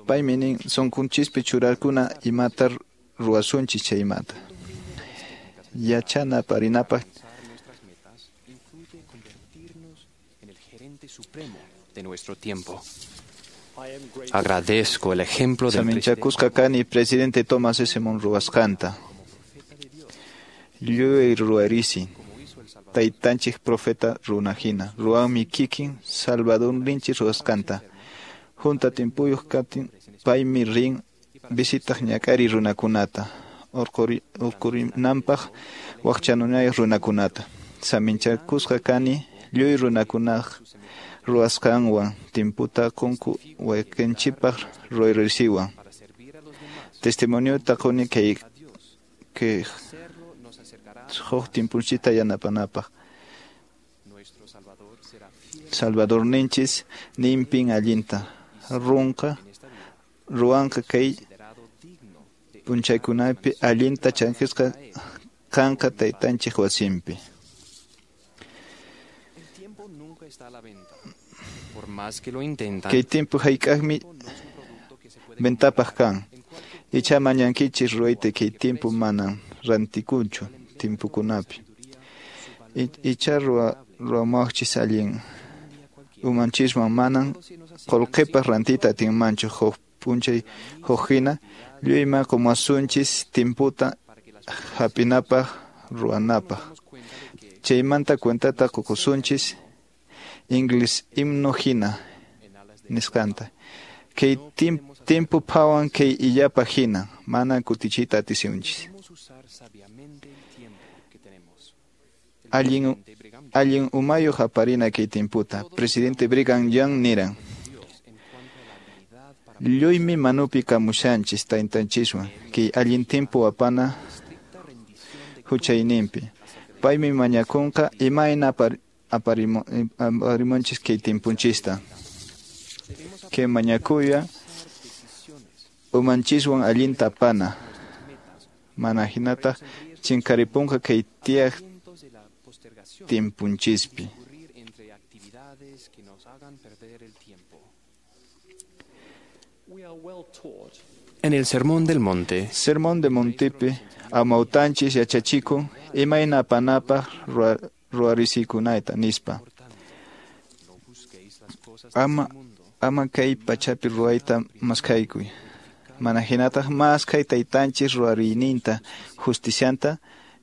Paymi nin sunqunchispi churarkuna imata ruwasunchis chaymanta. Yachana aparinapaq de nuestro tiempo. Agradezco el ejemplo del Saminchakusqa kani presidente Thomas S. Monn ruwasqanta. Lluyay ruwarisi. Taytanchik profeta runahina. Ruwanmi kikin Salvadorninchik ruwasqanta. Junta timpuyuq kaptin paymi rin visitaq ñak'ari runakunata. Urqurinanpaq waqchanunayuq runakunata. Saminchakusqa kani lluy runakunaq ruwasqanwan timputa qunku wayqinchikpaq ruwayrisiwan. Testimoniota quni kay huk timpunchikta yanapanapaq. Salvadorninchis ninpin allinta ruwanqa kay p'unchaykunapi allinta chankisqa kanqa taytanchik wasinpi. Kay timpu hayk'aqmi ventapaq kan. Icha mañankichis ruwayta kay timpu manan rantikunchu timpukunapi. Icha ruwamuwaqchis allin umanchiswan manan qullqipaq rantiyta atinmanchu huk p'unchay huk hina lluyman qumasunchis timputa hap'inapaq ruwanapaq. Chaymanta cuentata qukusunchis Ingles himno hina nisqanta. Kay timpu phawan kay illapaq hina mana kutichiyta atisunchis. Allin umayuq aparina kay timputa. Presidente Brigham Young niran. Lluymi manupi kamushanchis taytanchiswan kay allin timpu apana huchayninpi. Paymi mañakunqa imayna aparimunchis kay timpunchista. Kay mañakuya umanchiswan allinta apana. Mana hinataq chinkaripunqa kay tiyaq timpunchispi. En el Sermón del Monte, Sermón del Montepi amawtanchis yachachikun imayna apanapaq ruwarisikunayta nispa. Ama kay pachapi ruwayta maskhaykuy. Mana hinataq maskhay taytanchis ruwariyninta justicianta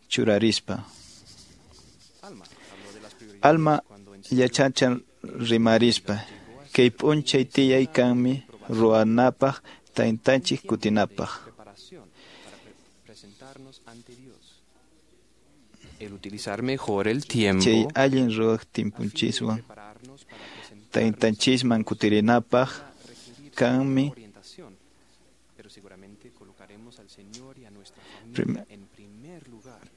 churarispa. Alma yachachan rimarispa. Kay p'unchay tiyay kanmi ruwanapaq taytanchik kutinapaq. El utilizar mejor el tiempo. Chay allin ruwaq timpunchiswan taytanchisman kutirinapaq Kanmi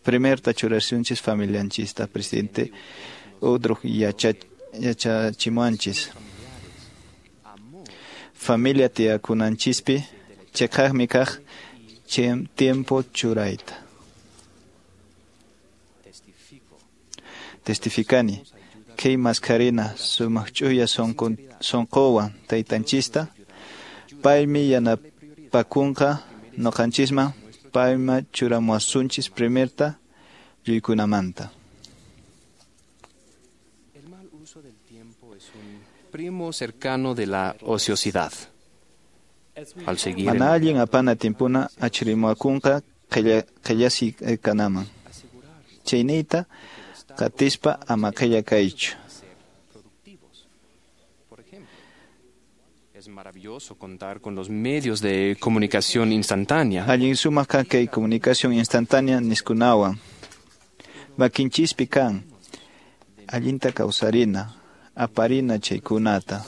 primerta churasunchis familianchista, presidente Udruj yachachimuanchis. Familia tiyakunanchispi cheqaqmi kaq tiempo churayta. Testificani kay maskarina sumaq ch'uya sunquwan taytanchista, paymi yanapakunqa noqanchisman, payma churamuwasunchis primerta lluykunamanta. El mal uso del tiempo es un primo cercano de la ociosidad. Al seguir Mana allin apana timpuna achrimuwakunqa qillasi kanaman. Chayniyta qatispa ama qilla kaychu. Es maravilloso contar con los medios de comunicación instantánea. Allin sumaq kan kay comunicación instantánea niskunawan. Makinchispi kan allinta kawsarina, aparina chaykunata.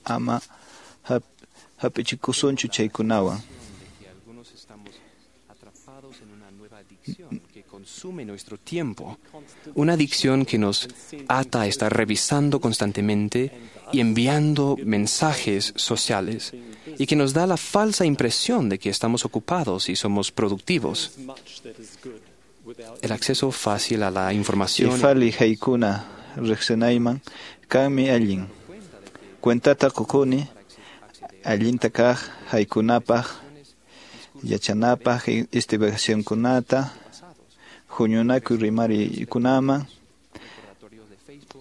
Ama hap'ichikusunchu chaykunawan. Que consume nuestro tiempo, una adicción que nos ata a estar revisando constantemente y enviando mensajes sociales y que nos da la falsa impresión de que estamos ocupados y somos productivos. El acceso fácil a la información. Ifali haykuna riqsinayman kanmi allin. Cuentata qukuni allinta kaq haykunapaq yachanapaq investigacionkunata huñunakuy rimarikunaman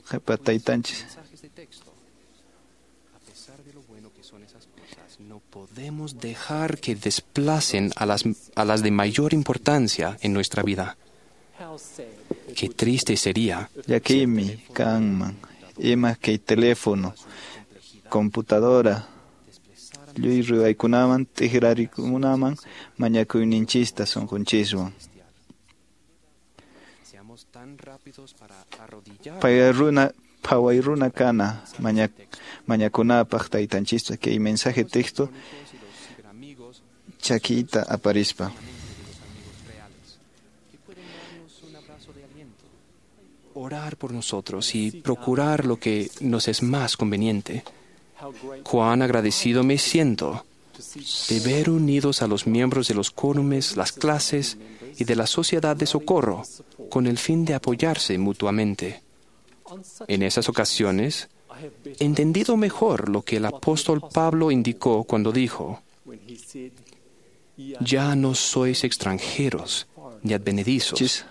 qhipa taytanchis. No podemos dejar que desplacen a las de mayor importancia en nuestra vida. Qué triste sería. Llakiymi kanman ima kay teléfono, computadora, lluy ruwaykunaman t'ikrarikunaman mañakuyninchista sunqunchiswan. Phaway runa kana mañakunapaq taytanchista kay mensaje texto chakiyta aparispa. Orar por nosotros y procurar lo que nos es más conveniente. Cuán agradecido me siento de ver unidos a los miembros de los quórumes, las clases y de la sociedad de socorro con el fin de apoyarse mutuamente. En esas ocasiones, he entendido mejor lo que el apóstol Pablo indicó cuando dijo: Ya no sois extranjeros ni advenedizos.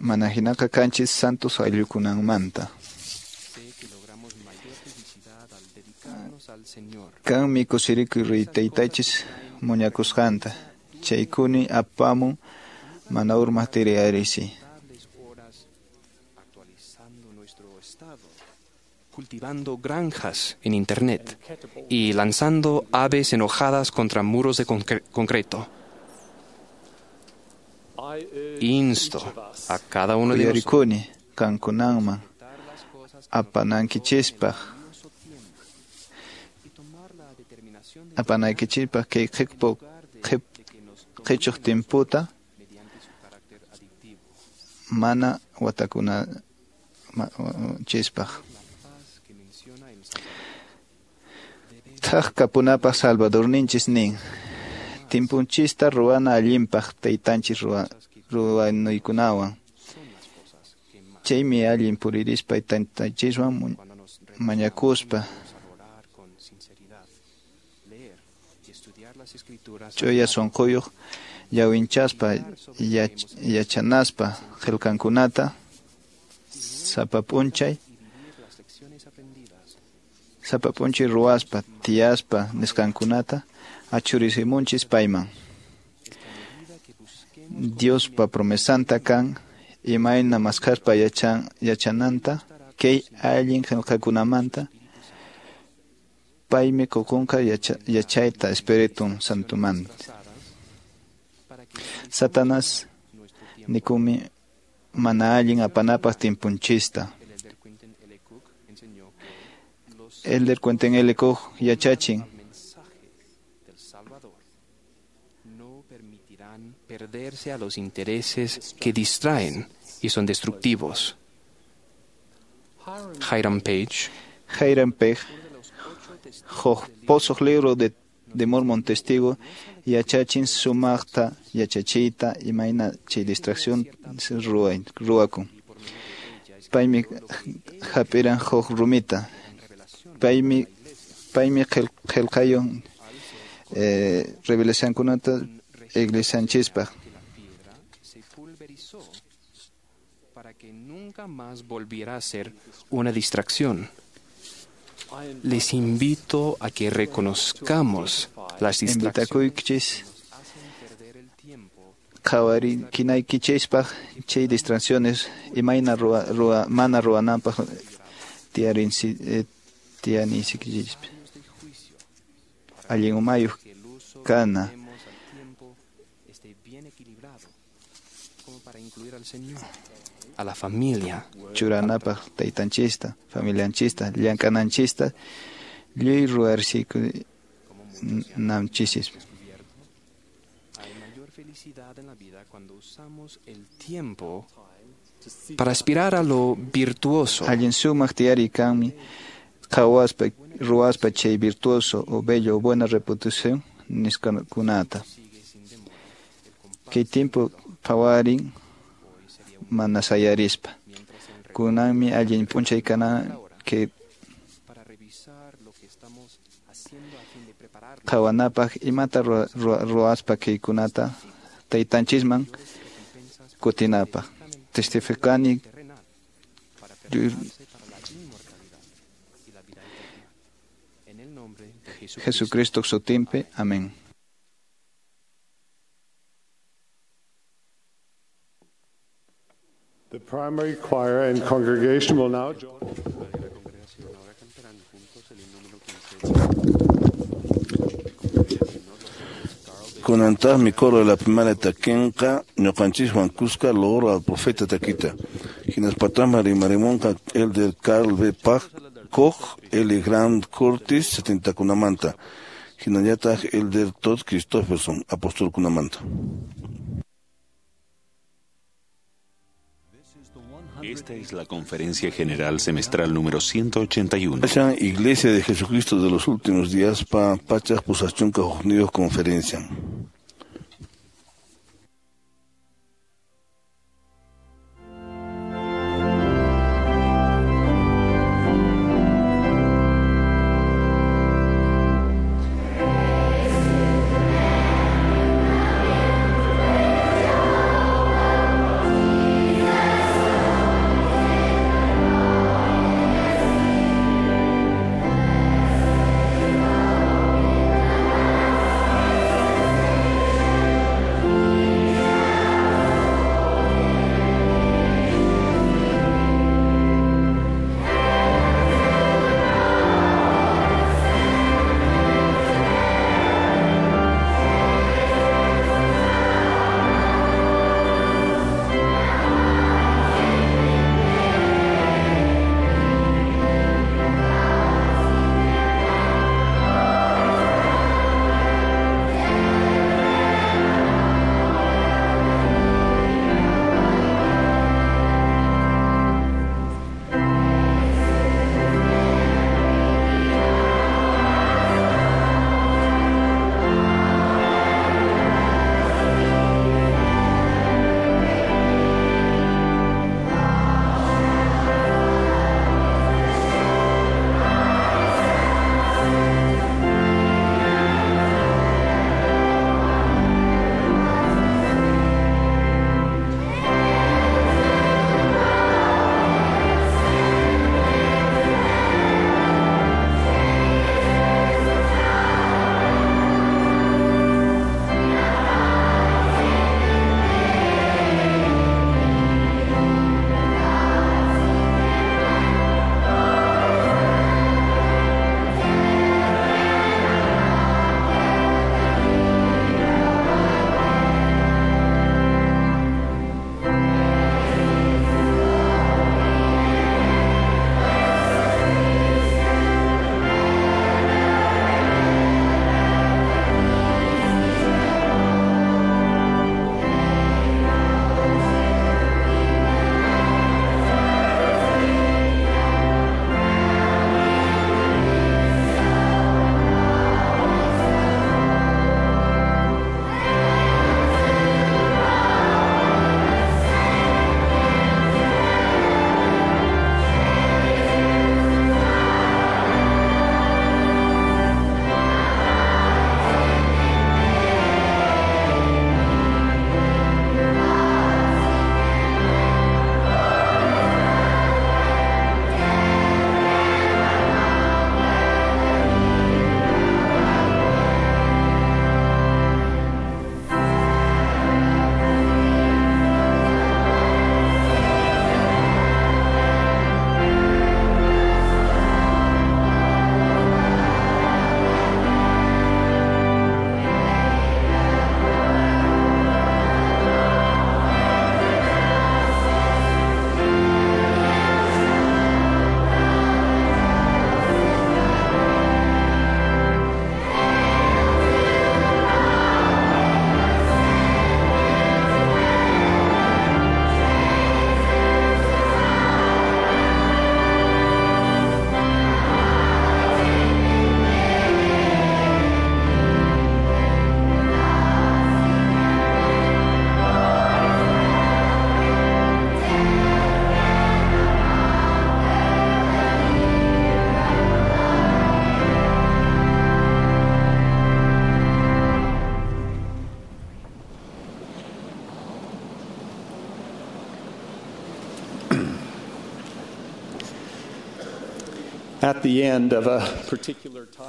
Manahinaqa kanchis santos ayllukunanmanta. Kanmi kusirikuy riytaytachis muñakusqanta. Chaykuni apamun mana urmaq tiriyarisi. Cultivando granjas en Internet y lanzando aves enojadas contra muros de concreto. Insto a cada uno de nosotros kankunanman apanankichispaq apanaykichispaq kay qhichuq timputa mana watakunachispaq. Thaq kapunapaq Salvadorninchis nin timpunchista ruwana allinpaq taytanchis ruwanuykunawan. Chaymi allin puririspa taytanchiswan mañakuspa ch'uya sunquyuq llawinchaspa yachanaspa qillqankunata sapa p'unchay ruwaspa tiyaspa nisqankunata achurisimunchis payman. Diospa promesanta kan imayna maskhaspa yachananta kay allin qillqakunamanta paymi qukunqa yachayta Espíritu Santumanta. Satanás nikumi mana allin apanapaq timpunchista. Elder Quentin L. Koch yachachin. No permitirán perderse a los intereses que distraen y son destructivos. Hiram Page. Hiram Page, huk posuq libro de Mormon Testigo, yachachin sumaqta yachachiyta imayna chay distracción ruwakun. Paymi hap'iran huk rumita. Paymi qillqayun revelacionkunata iglesianchispaq. Para que nunca más volviera a ser una distracción. Les invito a que reconozcamos las distracciones. Qhawarinaykichispaq chay distracciones imayna mana ruwananpaq tiyarinsikichispi. Allin umayuq kana. A la familia. Churanapaq taytanchista, familianchista, llank'ananchista, lluy ruwarsikunanchisis. Hay mayor felicidad en la vida cuando usamos el tiempo para aspirar a lo virtuoso. Allin sumaq tiyari kanmi qhawaspa ruwaspa chay virtuoso o bello o buena reputación nisqakunata. Kay tiempo phawarin mana sayarispa. Kunanmi allin p'unchay kana que qhawanapaq imata ruwaspa kaykunata taytanchisman kutinapaq. Testificani Jesucristo sutinpi. Amén. The primary choir and congregation will now join. Kunantaqmi coro de la primaria takinqa ñuqanchiswan kuska loor al profeta takita. Hinaspataqmi rimarimunqa Elder Carl B. Koch, L. Grant Curtis, 70kunamanta. Hinallataq Elder Todd Christofferson, apostolkunamanta. Esta es la Conferencia General Semestral número 181. Iglesia de Jesucristo de los Últimos Días, pa Pachas Pusachunca Unidos Conferencia.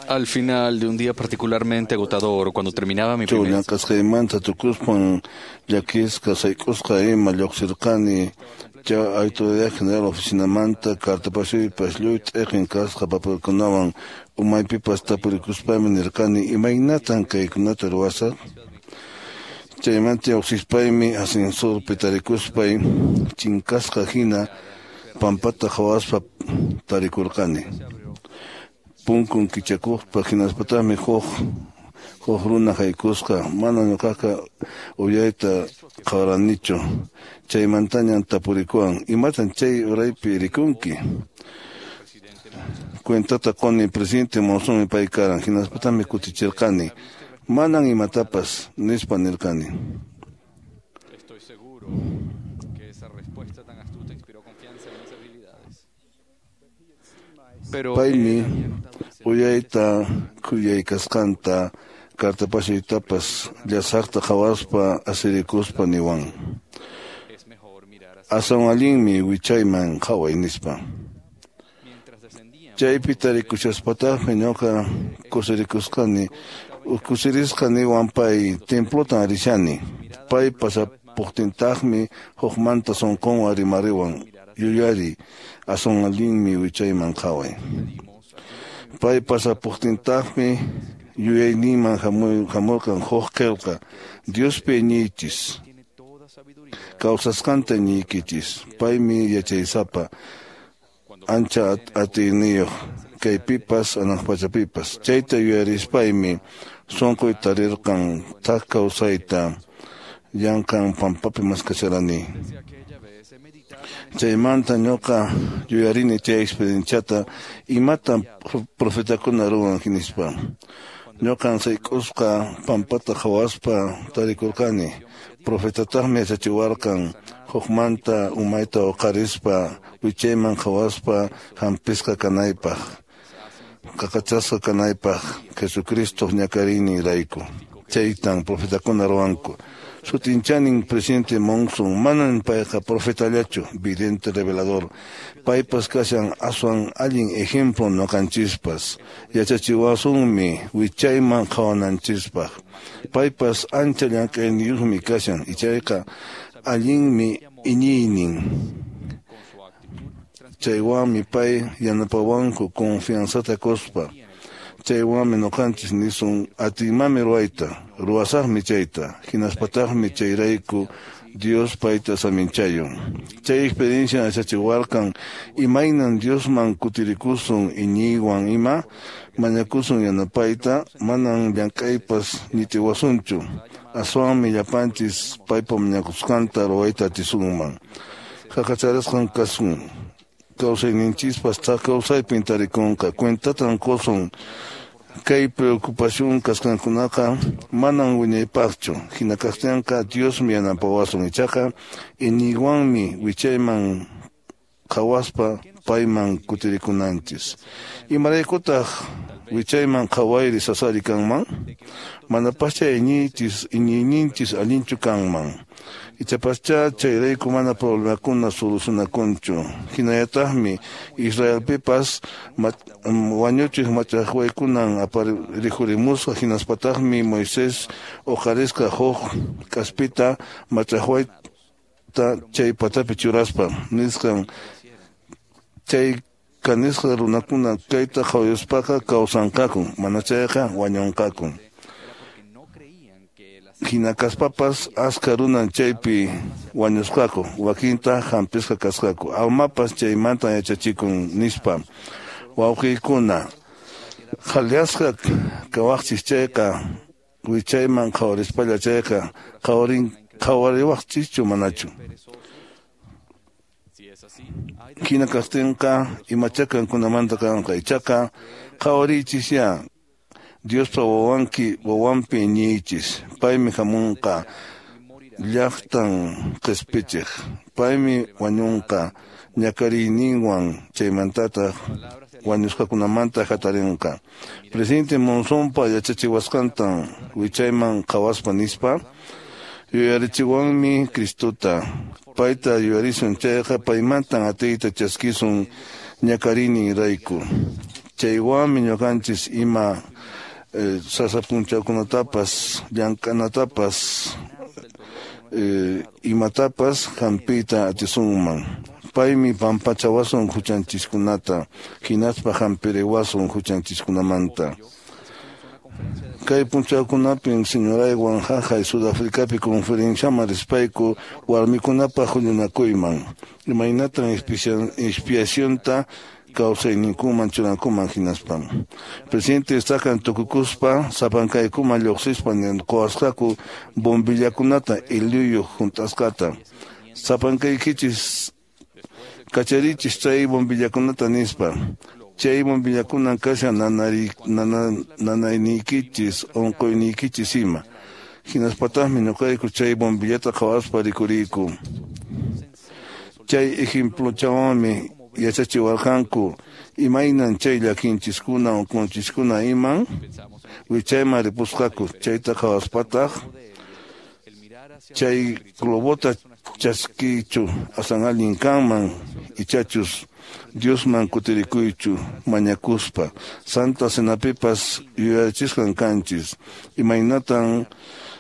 Al final de un día particularmente agotador, cuando terminaba mi primer Llamk'asqaymanta tukuspan llakisqa sayk'usqa ima lluqsirqani chay Autoridad General oficinamanta cartapasuypas lluy t'iqin kasqa papelkunawan umaypipas tapurikuspaymi nirqani imaynatan kaykunata ruwasaq. Chaymanta lluqsispaymi ascensorpi tarikuspay chinkasqa hina pampata qhawaspa tarikurqani. Punkun kichakuqpa hinaspataqmi huk runa haykusqa mana ñuqaqa uyayta qhawaranichu. Chaymantañan tapurikuwan imatan chay uraypi rikunki. Cuentata quni presidente Monzonmi pay karan hinaspataqmi kutichirqani manan imatapas nispa nirqani. Estoy seguro que esa respuesta tan astuta inspiró confianza en mis habilidades. Pero Paymi uyayta khuyaykasqanta cartapasuytapas llasaqta qhawaspa asirikuspa niwan. Aswan allinmi wichayman qhaway nispa. Chaypi tarikushaspatajmi ñuqa kusirikusqani kusirisqa niwan pay templotan rishani. Pay pasapuqtintaqmi hukmanta sunqunwan rimariwan yuyari aswan allinmi wichayman qhaway. Pay pasapuqtintaqmi yuyayninman hamurqan huk qillqa Diospi iñiychis kawsasqanta iñiykichis paymi yachaysapa ancha atiyniyuq kaypipas hanaq pachapipas. Chayta yuyarispaymi sunquy tarirqan thak kawsayta llanqan pampapi maskacharani. Chaymanta ñuqa yuyarini chay experienciata imatan profetakuna ruwan nispa. Ñuqan sayk'usqa pampata qhawaspa tarikurqani. Profetataqmi yachachiwarqan hukmanta umayta uqarispa wichayman qhawaspa hampisqa kanaypaq qaqachasqa kanaypaq Jesucristo ñakariyninrayku. Chaytan profetakuna ruwanku. Sutinchanin presidente Monson manan payqa profetallachu vidente revelador. Paypas kashan aswan allin ejemplo ñuqanchispas yachachiwasunmi wichayman qhawananchispaq. Paypas ancha llank'ayniyuqmi kashan ichayqa allinmi iñiynin. Chaywanmi pay yanapawanku confianzata quspa. Chaywanmi ñuqanchis nisun atinmanmi ruwayta ruwasaqmi chayta hinaspataqmi chayrayku Dios payta saminchayun. Chay experiencia yachachiwarqan imaynan Diosman kutirikusun iñiywan ima mañakusun yanapayta manan llank'aypas ñitiwasunchu aswanmi llapanchis paypa mañakusqanta ruwayta atisunman. Qaqacharasqan kasun kawsayninchispas thak kawsaypin tarikunqa cuentatan qusun kay preocupación kasqankunaqa manan wiñaypaqchu hina kaqtinqa Diosmi yanapawasun ichaqa iñiywanmi wichayman qhawaspa payman kutirikunanchis. Imaraykutaq wichayman qhawayri sasari kanman manapascha iñiyninchis allinchu kanman. Ichapascha chayrayku mana problemakuna solucionakunchu. Hinallataqmi Israelpipas wañuchiq mach'aqwaykunan rikhurimusqa hinaspataqmi Moisés uqarisqa huk k'aspita mach'aqwayta chay patapi churaspa nisqan chay kanisqa runakuna kayta qhawayuspaqa kawsanqaku mana chayqa wañunqaku. Hina kaspapas aska runan chaypi wañusqaku wakinta hampisqa kasqaku almapas chaymanta yachachikun nispa. Wawqiykuna qhalyasqa kawaqchis chayqa wichayman qhawarispalla chayqa qhawariwaqchischu manachu. Hina kaqtinqa imacha kankunamanta kanqa ichaqa qhawariychis Diospa wawanpi iñiychis paymi hamunqa llaqtan qispichiq paymi wañunqa ñakariyninwan chaymantataq wañusqakunamanta hatarinqa. Presidente Monzonpa yachachiwasqantan wichayman qhawaspa nispa yuyarichiwanmi Cristota payta yuyarisun chayqa paymantan atiyta chaskisun ñakariyninrayku. Chaywanmi ñuqanchis ima sasa punchawkunatapas llank'anatapas imatapas hampiyta atisunman. Paymi pampachawasun huchanchiskunata hinaspa hampiriwasun huchanchiskunamanta. Kay punchawkunapim señoraywan haqay Sudafricapi conferenciaman rispayku warmikunapaq huñunakuyman. Imaynatan expiacionta kawsayninkuman churankuman hinaspam. Presidente estakan tukukuspa sapankaykuman lluqsispa quwasqaku bombillakunata iluyuq hunt'asqata. Sapankaykichis kacharichis chay bombillakunata nispa. Chay bombillakunan kashan nanayniykichis unquyniykichis ima. Hinaspataqmi ñuqayku chay bombillata qhawaspa rikuriyku. Chay ejemplochawanmi yachachiwarqanku imaynan chay llakinchiskuna unqunchiskuna iman wichayman ripusqaku. Chayta qhawaspataq chay globota chaskiychu asan allin kanman ichachus Diosman kutirikuychu mañakuspa. Santa Cenapipas yuyarichisqan kanchis imaynatan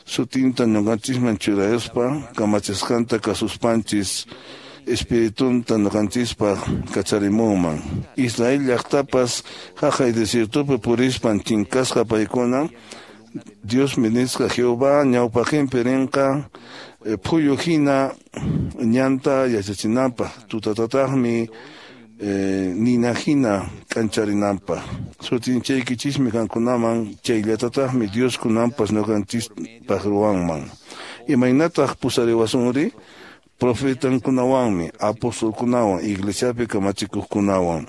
sutinta ñuqanchisman churayuspa kamachisqanta kasuspanchis espiritunta ñuqanchispaq kacharimunman. Israel llaqtapas haqay desiertopi purispan chinkasqa paykuna Diosmi nisqa Jehová ñawpaqinpi rinqa phuyu hina ñanta yachachinanpaq tutatataqmi nina hina k'ancharinanpaq. Sutinchaykichismi qankunaman chayllatataqmi Dios kunanpas ñuqanchispaq ruwanman. Imaynataq pusariwasunri? Profetankunawanmi, apostolkunawan, iglesiapi kamachikuqkunawan.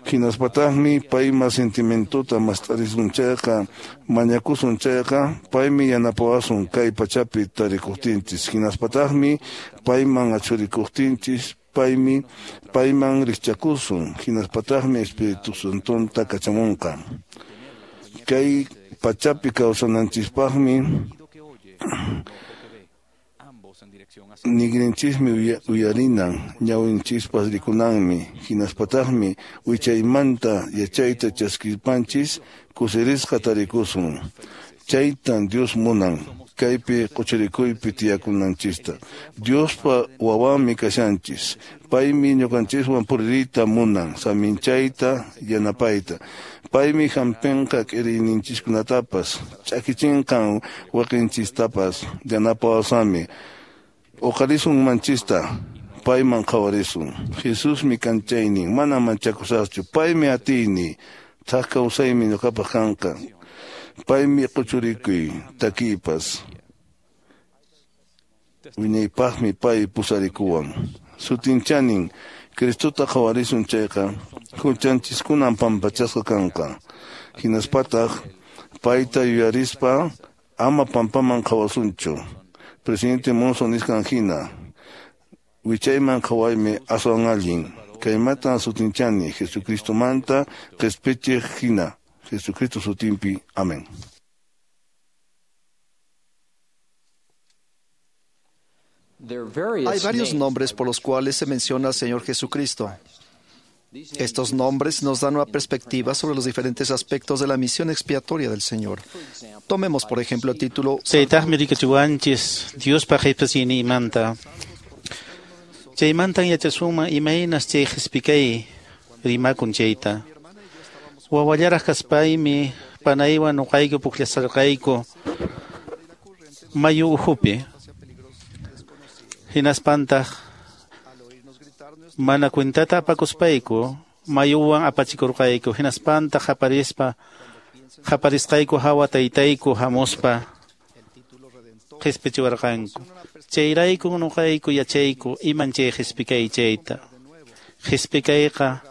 Hinaspataqmi payma sentimentota mast'arisun chayqa, mañakusun chayqa, paymi yanapawasun kay pachapi tarikuqtinchis. Hinaspataqmi payman achurikuqtinchis, paymi payman rikchakusun. Hinaspataqmi Espíritu Santonta kachamunqa. Kay pachapi kawsananchispaqmi nigrinchismi uyarinan, ñawinchispas rikunanmi, hinaspataqmi wichaymanta yachayta chaskispanchis kusirisqa tarikusun. Chaytan Dios munan, kaypi quchirikuypi tiyakunanchista. Diospa wawanmi kashanchis, paymi ñuqanchiswan puririyta munan, saminchayta yanapayta. Paymi hampinqa k'iriyninchiskunatapas, ch'akichinqan waqinchistapas, yanapawasami. Uqarisun manchista, payman qhawarisun. Jesusmi kanchaynin, mana manchakusaqchu, paymi atiyni, thak kawsaymi ñuqapaq kanqa. Paymi quchurikuy, takiypas. Wiñaypaqmi pay pusarikuwan. Sutinchanin, Cristota qhawarisun chayqa, huchanchiskunan pampachasqa kanqa. Hinaspataq, payta yuyarispa, ama pampaman qhawasunchu. Presidente Monson nisqan hina, wichayman qhawaymi aswan allin. Kaymatan sutinchani Jesucristomanta qhispichiq hina. Jesucristo sutinpi. Amén. Hay varios nombres por los cuales se menciona al Señor Jesucristo. Estos nombres nos dan una perspectiva sobre los diferentes aspectos de la misión expiatoria del Señor. Tomemos, por ejemplo, el título Chaytaqmi rikuchiwanchis Diospaq qhispichinimanta. Chaymantan yachasunman imaynas chay qhispikay rimakun chayta. Wawallaraq kaspaymi panaywan nuqayku pukllasarqayku mayu uhupi. Hinaspantaq mana cuentata apakuspayku mayuwan apachikurqayku. Hinaspantaq qaparisqayku hawa taytayku hamuspa qhispichiwarqanku. Chayrayku nuqayku yachayku iman chay qhispikay chayta. Qhispikayqa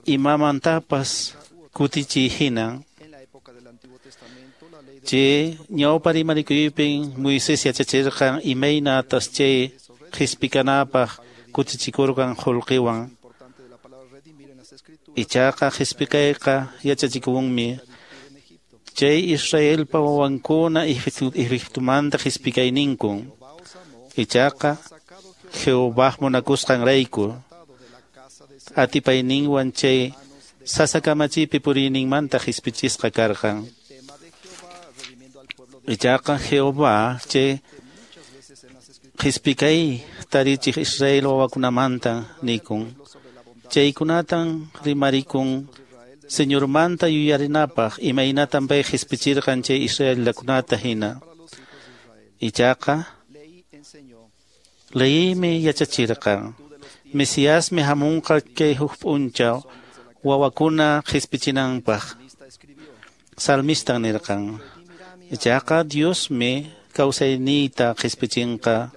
imamantapas kutichiy hinan. Chay ñawpa rimarikuypin Moisés yachachirqan imaynatas chay qhispikanapaq kutichikurqan qullqiwan. Ichaqa qhispikayqa yachachikunmi chay Israelpa wawankuna Egiptomanta qhispikayninkun. Ichaqa Jehová munakusqanrayku atipayninwan chay Sasa kamachipi puriyninmanta qispichisqa karqan. Ichaqa Jehová chay qispikay tarichiq Israel wawakunamanta nikun. Chaykunatan rimarikun Señormanta yuyarinapaq imaynatan pay qispichirqan chay israelitakunata hina. Ichaqa leymi yachachirqan. Mesiasmi hamunqa kay huk p'unchaw wawakuna qispichinanpaq. Salmistan nirqan. Ichaqa Diosmi kawsayniyta qispichinqa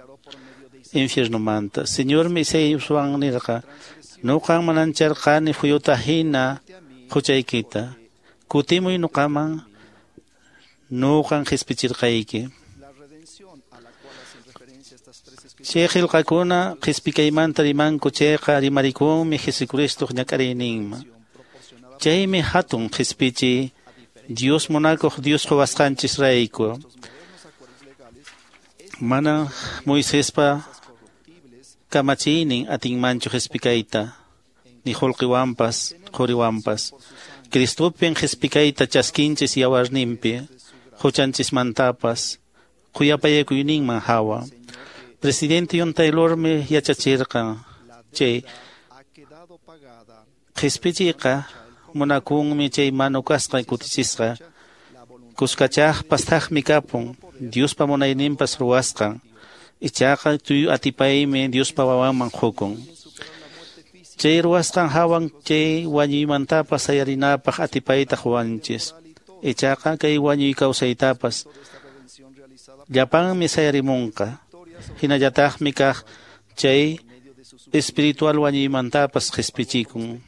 infiernomanta. Señormi Isaíaswan nirqa, nuqan manancharqani phuyuta hina huchaykita. Kutimuy nuqaman, nuqan qispichirqayki. Chay qillqakuna qispikaymanta rimanku chayqa rimarikunmi Jesucristoq ñak'ariyninman. Chaymi hatun qispichiy Dios munakuq Dios quwasqanchisrayku. Mana Moisespa kamachiynin atinmanchu qispikayta, ni qullqiwanpas, quriwanpas. Cristopin qispikayta chaskinchis yawarninpi, huchanchismantapas, khuyapayakuyninman hawa. Presidente John Taylormi yachachirqan chay qispichiyqa munakunmi chay manu kasqa kutichisqa. Kuskachaqpas thaqmi kapun, Diospa munayninpas ruwasqan. Ichaqa tuyu atipaymi Diospa wawanman qukun. Chay ruwasqan hawan chay wañuymantapas sayarinapaq atipayta quwanchis. Ichaqa kay wañuy kawsaytapas llapanmi sayarimunqa. Hinallataqmi kaq chay espiritual wañuymantapas qispichikun.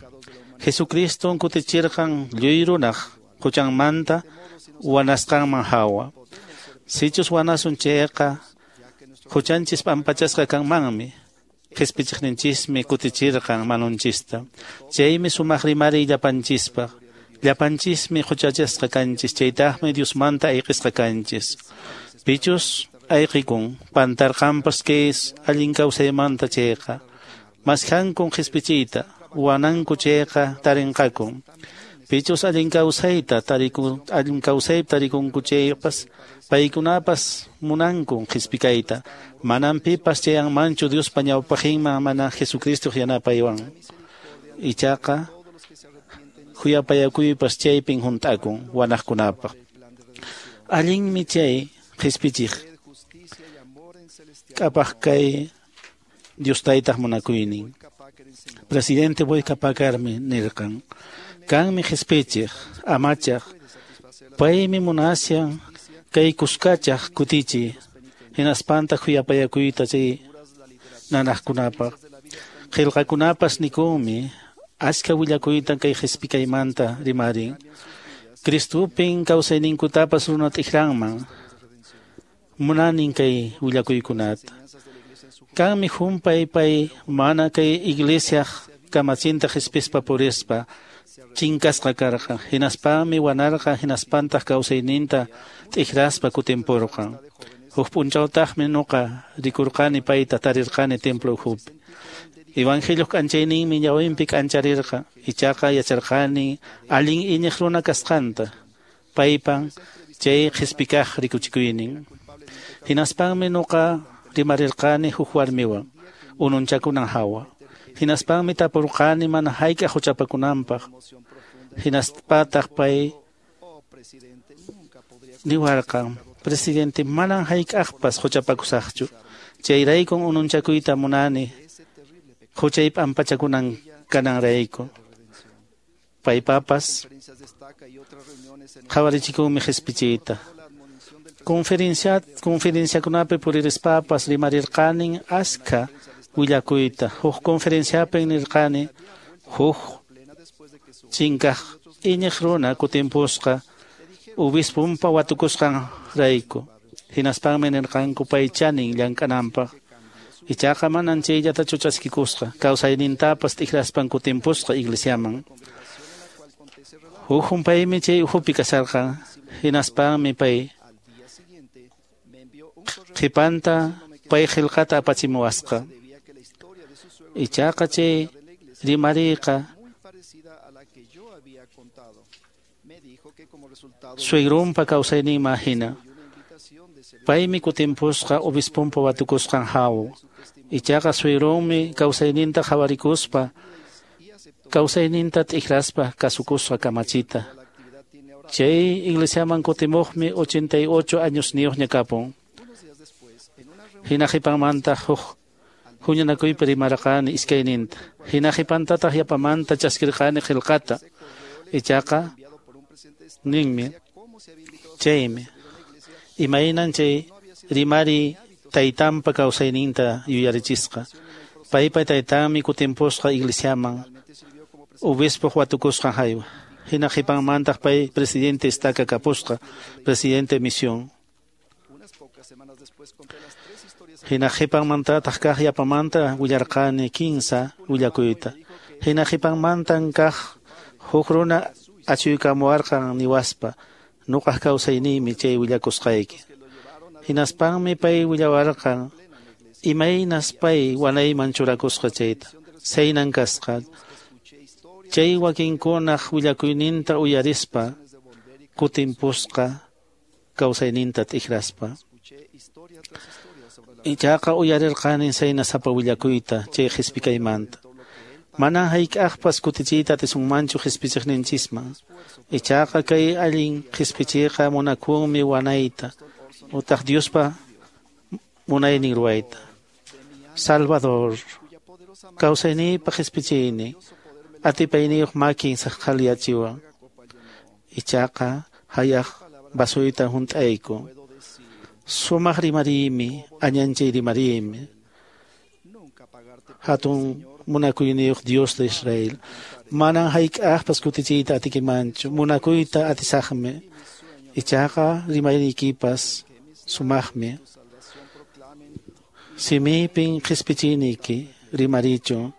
Jesucriston kutichirqan lluy runaq huchanmanta wanasqanman hawa. Sichus wanasun chayqa huchanchis p'ampachasqa kanmanmi. Qispichiqninchismi kutichirqan manunchista. Chaymi sumaq rimariy llapanchispaq. Llapanchismi huchachasqa kanchis, chaytaqmi Diosmanta ayqisqa kanchis. Pichus ayqikun pantarqanpas kay allin kawsaymanta chayqa. Maskhankun qispichiyta, wananku chayqa tarinqakun. Pichus allin kawsayta tarikun, allin kawsaypi tarikunku chaypas, paykunapas munankun qispikayta. Manan pipas chayanmanchu Diospa ñawpaqinman mana Jesucristo yanapaywan. Ichaqa khuyapayakuypas chaypin hunt'akun wanaqkunapaq. Allinmi chay qispichiq k'apaq kay Dios taytaq munakuynin. Presidente Boyka Pakarmi nirqan, kanmi qispichiq, amachaq, paymi munasyan kay kuskachaq kutichi, hinaspanta khuyapayakuyta chay nanaqkunapaq. Qillqakunapas nikunmi achka willakuyta kay qispikaymanta rimarin. Cristopin kawsayninkutapas runa t'ikranman munanin kay willakuykunata. Kanmi humpay pay mana kay iglesiaq kamachinta qhispispa purispa chinkasqa karqan. Hinaspami wanarqan, hinaspantaq kawsayninta t'ikraspa kutimpurqan. Huk p'unchawtaqmi nuqa rikurqani payta tarirqani templo ukhupi. Evangelioq k'anchayninmi ñawinpi k'ancharirqan. Ichaqa yacharqani allin iñiq runa kasqanta. Paypan chay qispikaq rikuchikuynin. Hinaspanmi nuqa rimarirqani huk warmiwan ununchakunan hawa. Hinaspanmi tapurqani mana hayk'aq huchapakunanpaq. Hinaspataq pay niwarqan, presidente, manan hayk'aqpas huchapakusaqchu. Chayraykun ununchakuyta munani huchay p'ampachakunan kananrayku. Paypapas qhawarichikunmi qispichiyta. Conferenciakunapi puririspapas rimarirqanin askha willakuyta. Huk conferenciapin nirqani huk chinkaq iñiq runa kutimpusqa obispumpa watukusqan rayku. Hinaspanmi nirqanku pay chanin llank'ananpaq. Ichaqa manan chayllatachu chaskikusqa, kawsaynintapas t'ikraspan kutimpusqa iglesiaman. Huk humpaymi chay ukhupi kasharqan, hinaspanmi pay qhipanta pay qillqata apachimuwasqa. Ichaqa chay rimariyqa Suegrunpa kawsayninman hina. Paymi kutimpusqa obispunpa watukusqan hawa. Ichaqa suegrunmi kawsayninta qhawarikuspa, kawsayninta t'ikraspa kasukusqa kamachita. Chay iglesiaman kutimuqmi 88 añosniyuqña kapun. Hina qhipanmanta huk huñunakuypi rimarqani iskayninta. Hina qhipantataq yapamanta chaskirqani qillqata. Ichaqa ninmi chaymi imaynan chay rimari taytanpa kawsayninta yuyarichisqa. Paypa taytanmi kutimpusqa iglesiaman obispoq watukusqan haywa. Hina qhipanmantaq pay presidente estaca kapusqa, presidente misión. Hina qhipanmantataq kaq yapamanta willarqani kinsa willakuyta. Hina qhipanmantan kaq huk runa achuykamuwarqan niwaspa, nuqaq kawsayniymi chay willakusqayki. Hinaspanmi pay willawarqan imaynas pay wanayman churakusqa chayta. Saynan kasqa. Chay wakinkunaq willakuyninta uyarispa kutimpusqa kawsayninta t'ikraspa. Ichaqa uyarirqani sayna sapa willakuyta chay qhispikaymanta. Manan hayk'aqpas kutichiyta atisunmanchu qhispichiqninchisman. Ichaqa kay allin qhispichiyqa munakunmi wanayta utaq Diospa munaynin ruwayta. Salvador, kawsayniypa qhispichiynin, atipayniyuq makin saqqhaliyachiwan. Ichaqa hayaq vasuyta hunt'ayku. Sumaq rimariymi, añanchay rimariymi. Hatun munakuyniyuq Dios de Israel. Manan hayk'aqpas kutichiyta atikimanchu, munakuyta atisaqmi. Ichaqa rimayniykipas sumaqmi. Simiypin qhispichiyniyki rimarichun,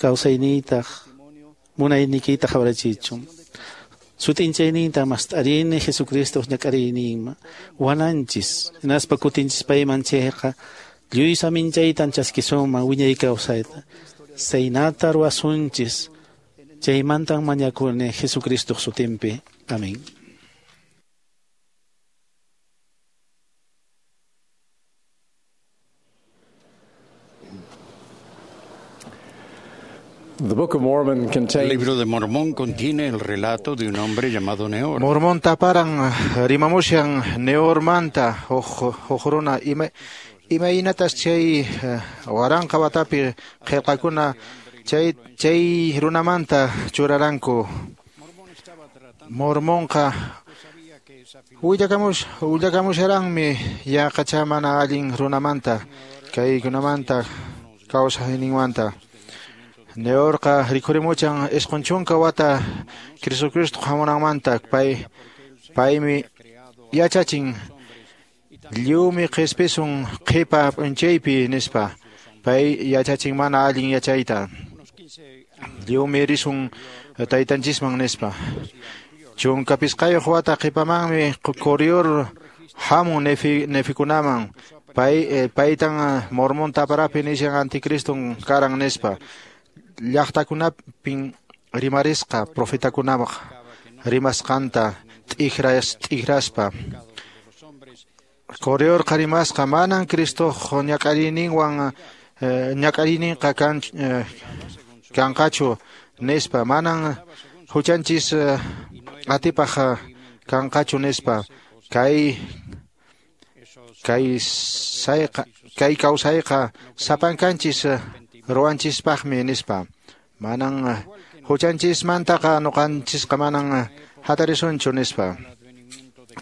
kawsayniytaq munayniykita qhawarachichun. Sut'inchayninta mast'arini Jesucristoq ñak'ariyninman. Wananchis, hinaspa kutinchis payman chayqa lluy saminchaytan chaskisunman wiñay kawsayta. Saynata ruwasunchis. Chaymantan mañakuni Jesucristoq sutinpi. Amén. El libro de Mormón contiene el relato de un hombre llamado Neor. Mormón taparan rimamushan Neormanta huk runa imaynatas chay waranqa watapi qillqakuna chay runamanta churaranku. Mormonqa willakamusharanmi yaqacha mana allin runamanta kaykunamanta kawsayninmanta. Neorqa rikhurimuchan isqun chunka wata Jesucristo hamunanmanta paymi yachachin lliwmi qhispisun qhipa p'unchaypi nispa. Pay yachachin mana allin yachayta. Lliwmi risun taytanchisman nispa. Chunka pisqayuq wata qhipamanmi Corior hamun nefikunaman. Paytan Mormón taparapi nishan anticriston karan nispa. Llaqtakunapin rimarisqa profetakunapaq rimasqanta t'ikraspa. Coriorqa rimasqa manan Cristoq ñak'ariyninwan ñak'ariyninqa kanqachu nispa, manan huchanchis atipaq kanqachu nispa. Kay kawsayqa sapankanchis ruwanchispaqmi nispa. Manan huchanchismantaqa nuqanchisqa manan hatarisunchu nispa.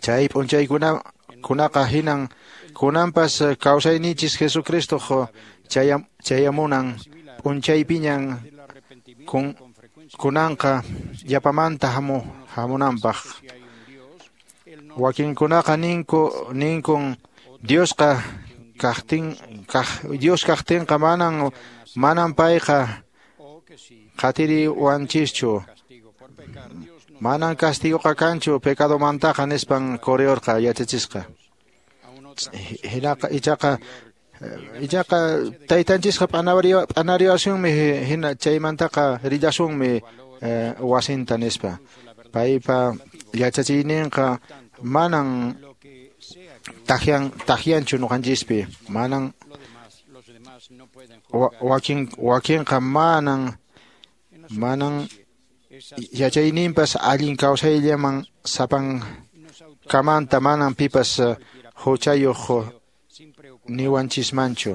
Chay p'unchaykunaqa hinan kunanpas kawsayninchis Jesucristoq chayamunan p'unchaypiñan kunanqa yapamanta hamunanpaq. Wakinkunaqa ninkun Diosqa Dios kaqtinqa manan payqa qatiriwanchischu. Manan castigoqa kanchu pecadomantaqa nispan Coriorqa yachachisqa. Hinaqa ichaqa Ichaqa taytanchisqa p'anariwasunmi hina chaymantaqa rillasunmi wasinta nispa. Paypa yachachiyninqa manan takyanchu ñuqanchispi, manan wakinqa manan yachayninpas allin kawsayllaman sapankamanta manan pipas huchayuq niwanchismanchu.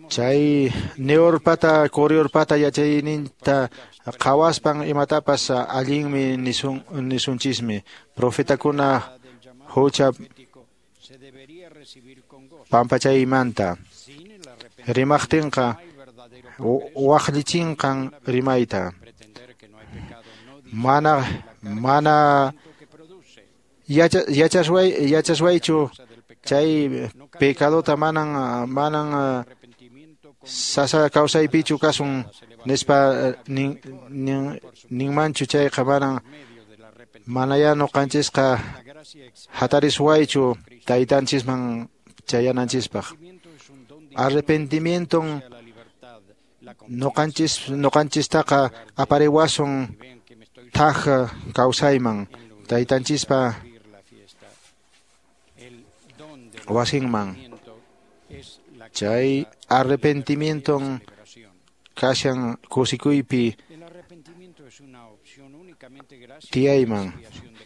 Chay Neorpata Coriorpata yachayninta qhawaspan imatapas allinmi nisunchismi. Profetakuna hucha pampachaymanta rimaqtinqa waqllichinqan rimayta. Mana yachaswaychu chay pecadota manan sasa kawsaypichu kasun nispa ninmanchu chayqa manaya ñuqanchisqa hatariswaychu taytanchisman chayananchispaq. Arrepentimienton ñuqanchistaqa apariwasun thaj kawsayman taytanchispa wasinman. Chay arrepentimienton kashan kusikuypi tiyayman.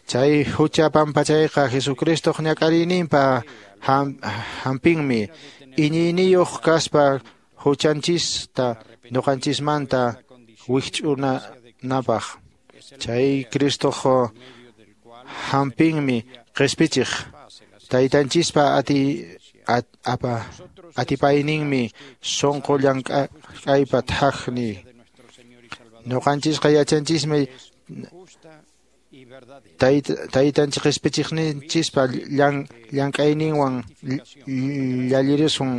Chay hucha pampachayqa Jesucristoq ñak'ariyninpa hampinmi. Iñiyniyuq kaspa huchanchista ñuqanchismanta wikch'unapaq. Chay Cristoq hampinmi qispichiq. Taytanchispa atipayninmi sunqu llank'aypa thajni. Ñuqanchisqa yachanchismi taytanchis qispichiqninchispa llank'ayninwan llallirisun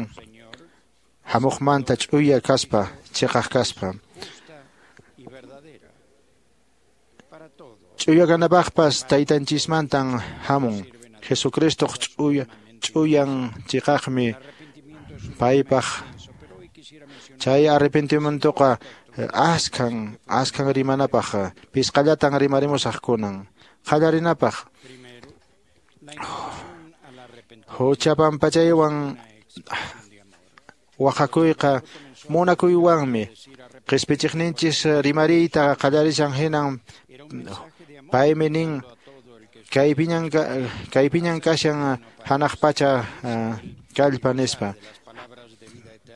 hamuqmanta ch'uya kaspa chiqaq kaspa. Ch'uya kanapaqpas taytanchismantan hamun. Jesucristoq ch'uyan chiqaqmi paypaq. Chay arrepentimientoqa askhan rimanapaq pisqallatan rimarimusaq kunan. Qallarinapaq hucha pampachaywan waqakuyqa munakuywanmi. Qispichiqninchis rimariyta qallarishan hinan paymi nin kaypiñan kashan hanaq pacha kallpa nispa.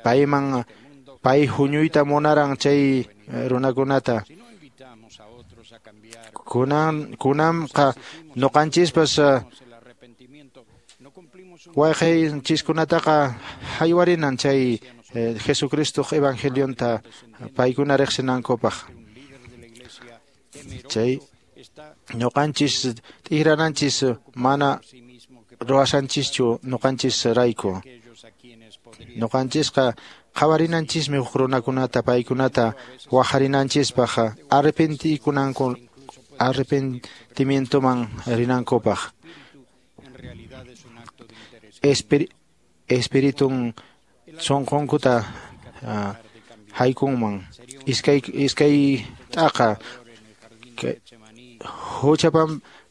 Payman pay huñuyta munaran chay runakunata. Kunanqa ñuqanchispas wayqaynchiskunataqa haywarinan chay Jesucristoq evangelionta paykuna riqsinankupaq. Chay ñuqanchis t'ikrananchis mana ruwasanchischu ñuqanchis rayku. Ñuqanchisqa qhawarinanchismi huk runakunata paykunata waqharinanchispaq arrepentimientoman rinankupaq. Espiritun sunqunkuta haykunman. Iskay t'aqa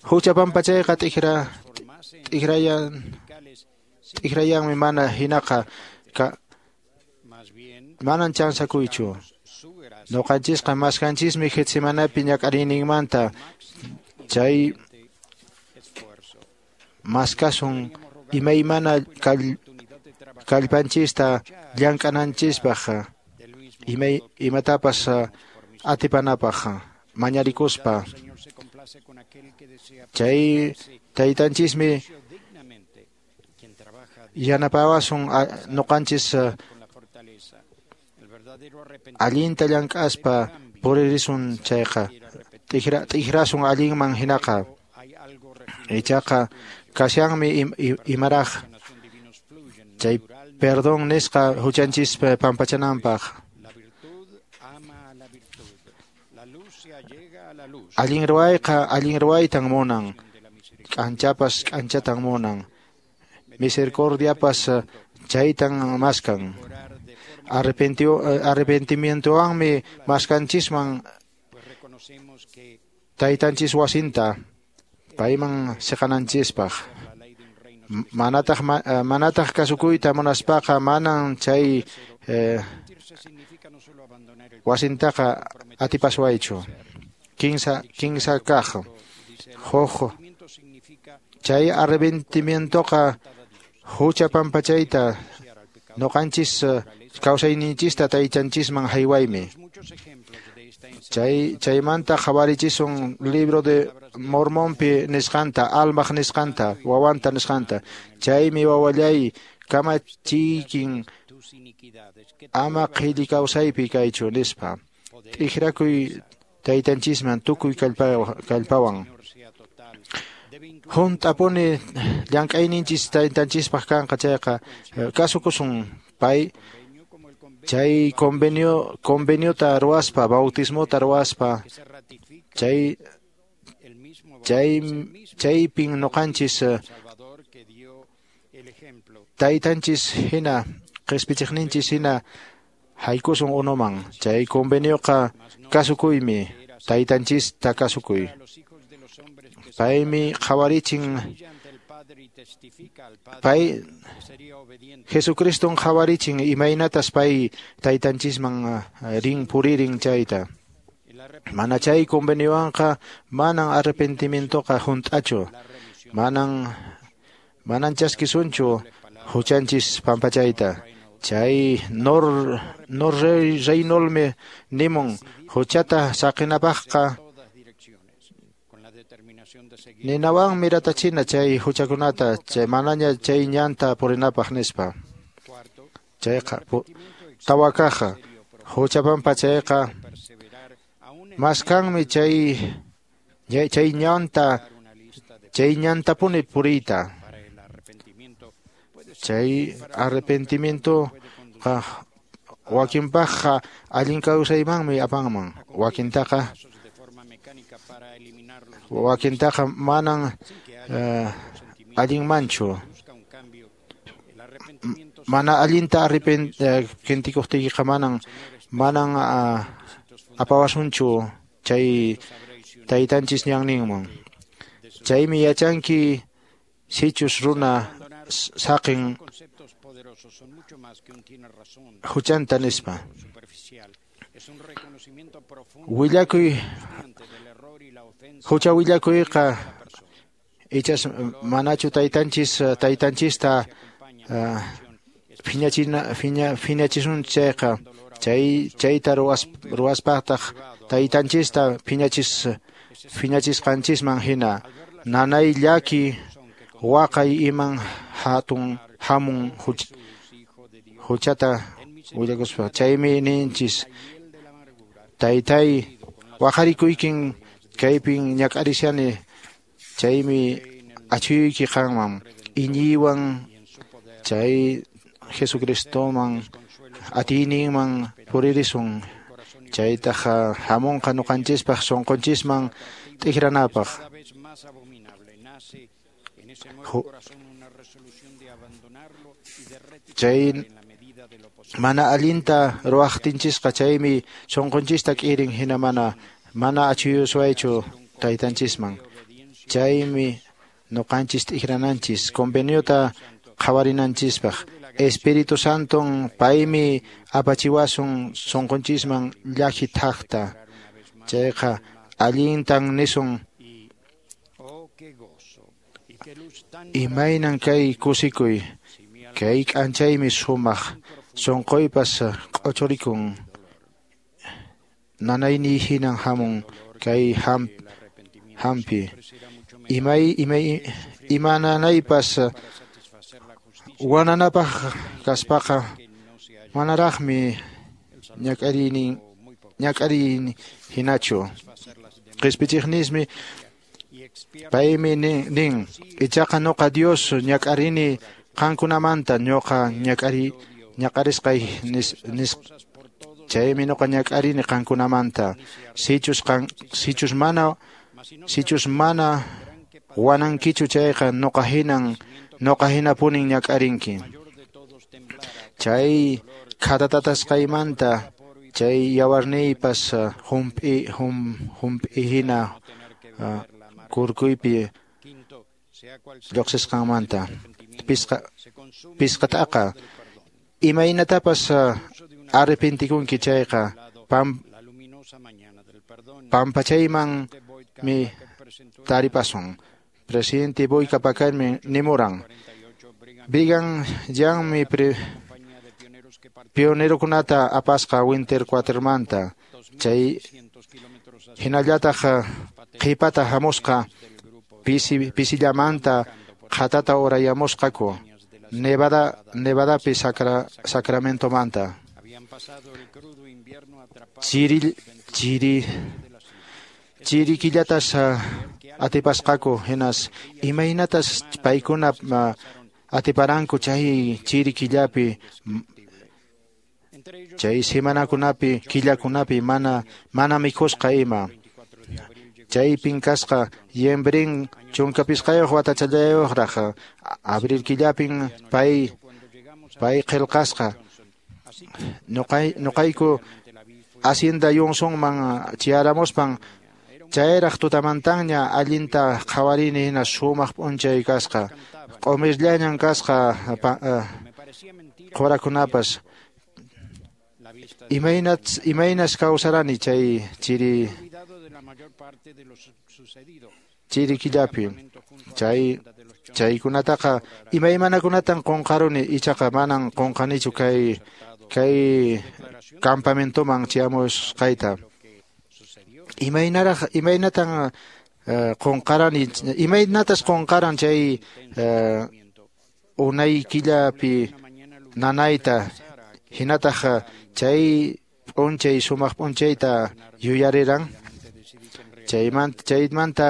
hucha pampachayqa t'ikrayanmi mana hinaqa manan chansakuychu. Ñuqanchisqa maskanchismi Getsemanapi ñak'ariyninmanta. Chay maskasun imaymana kallpanchista llank'ananchispaq imatapas atipanapaq mañarikuspa. Chay taytanchismi yanapawasun ñuqanchis allinta llank'aspa puririsun chayqa t'ikrasun allinman hinaqa. Ichaqa kashanmi imaraq chay perdón nisqa huchanchispa pampachananpaq. Allin ruwayqa allin ruwaytan munan, k'anchapas k'anchatan munan. misericordiapas chaytan maskan. Arrepentimientowanmi maskanchisman taytanchis wasinta payman siqananchispaq. Manataq kasukuyta munaspaqa manan chay wasintaqa atipaswaychu. Kinsa kaq huk chay arrepentimientoqa hucha pampachayta noqanchis kawsayninchista taytanchisman haywaymi. Chaymanta qhawarichisun libro de Mormonpi nisqanta, Almaq nisqanta, wawanta nisqanta. Chaymi wawallay kamachiykin ama qhilli kawsaypi kaychu nispa. T'ikrakuy taytanchisman tukuy kallpawan. Hunt'apuni llank'ayninchis taytanchispaq kanqa chayqa kasukusun pay chay conveniota ruwaspa, bautismota ruwaspa, chaypin noqanchis taytanchis hina qispichiqninchis hina haykusun unuman. Chay convenioqa kasukuymi, taytanchista kasukuy. Paymi qhawarichin, pay Jesucriston qhawarichin imaynatas pay taytanchisman rin puririn chayta. Mana chay conveniowanqa manan arrepentimientoqa hunt'achu, manan chaskisunchu huchanchis pampachayta. Chay nor reynolmi nimun huchata saqinapaqqa ninawanmi ratachina chay huchakunata, chay manaña chay ñanta purinapaq nispa. Chayqa tawakaqa hucha pampachayqa maskanmi chay ñantapuni puriyta. Chay arrepentimiento wakinpaqqa allin kawsaymanmi apanman, wakintaqa manan allinmanchu. Mana allinta arrepentikuqtiykiqa manan apawasunchu chay taytanchis ñanninman. Chaymi yachanki sichus runa saqin huchanta nispa. Willakuy hucha willakuyqa ichas manachu taytanchista phiñachisun chayqa, chayta ruwaspaqtaq taytanchista phiñachisqanchisman hina nanay llaki waqay iman hatun hamun huchata willakuspa. Chaymi ninchis taytay waqarikuykin kaypin ñak'arishani, chaymi achuyki qanman iñiywan chay Jesucristoman atiyninman puririsun. Chaytaq hamunqa ñuqanchispaq sunqunchisman t'ikranapaq. Chay mana allinta ruwaqtinchisqa chaymi sunqunchista k'irin hina mana achuyuswaychu taytanchisman. Chaymi ñuqanchis t'ikrananchis conveniota qhawarinanchispaq. Espíritu Santon paymi apachiwasun sunqunchisman llaki thaqta. Chayqa allintan nisun imaynan kay kusikuy, kay k'anchaymi sumaq sunquypas q'uchurikun, nanayniy hinan hamun kay hampi. Imananaypas wananapaq kaspaqa manaraqmi ñak'arini hinachu. Qispichiqnismi paymi nin ichaqa ñuqa Dios ñak'arini qankunamanta ñuqa ñak'arisqay chaymi ñuqa ñak'arini qankunamanta. Sichus mana wanankichu chayqa ñuqa hinan Noqa hinapunin ñak'arinki. Chay khatatatasqaymanta chay yawarniypas hump'i hina kurkuypi lluqsisqanmanta. Pisqataqa imaynatapas arrepentikunki chayqa pampachaymanmi taripasun. Presidente Boyka Pacarmi nimuran. Brigham Youngmi pionerokunata apasqa Winter Quartermanta. Chay hinallataq qhipata hamusqa pisillamanta qhatata urayamusqaku Nevadapi Sacramentomanta. Chiri killatas atipasqaku hinas imaynatas paykuna atiparanku chay chiri killapi chay semanakunapi killakunapi mana mikhusqa ima. Chaypin kasqa Yembrin 15 watachallayuqraq abril killapin pay qillqasqa. Nuqayku Hacienda Johnsonman chayaramuspan chayraq tutamantaña allinta qhawarini hina sumaq p'unchay kasqa. Q'umirllañan kasqa qhurakunapas. Imaynas kawsarani chay chiri killapi. Chaykunataqa imaymanakunatan qunqaruni ichaqa manan qunqanichu kay campamentoman chayamusqayta. Imaynatan qunqarani imaynatas qunqaran chay unay killapi nanayta hinataq chay p'unchay sumaq p'unchayta yuyariran. Chaymanta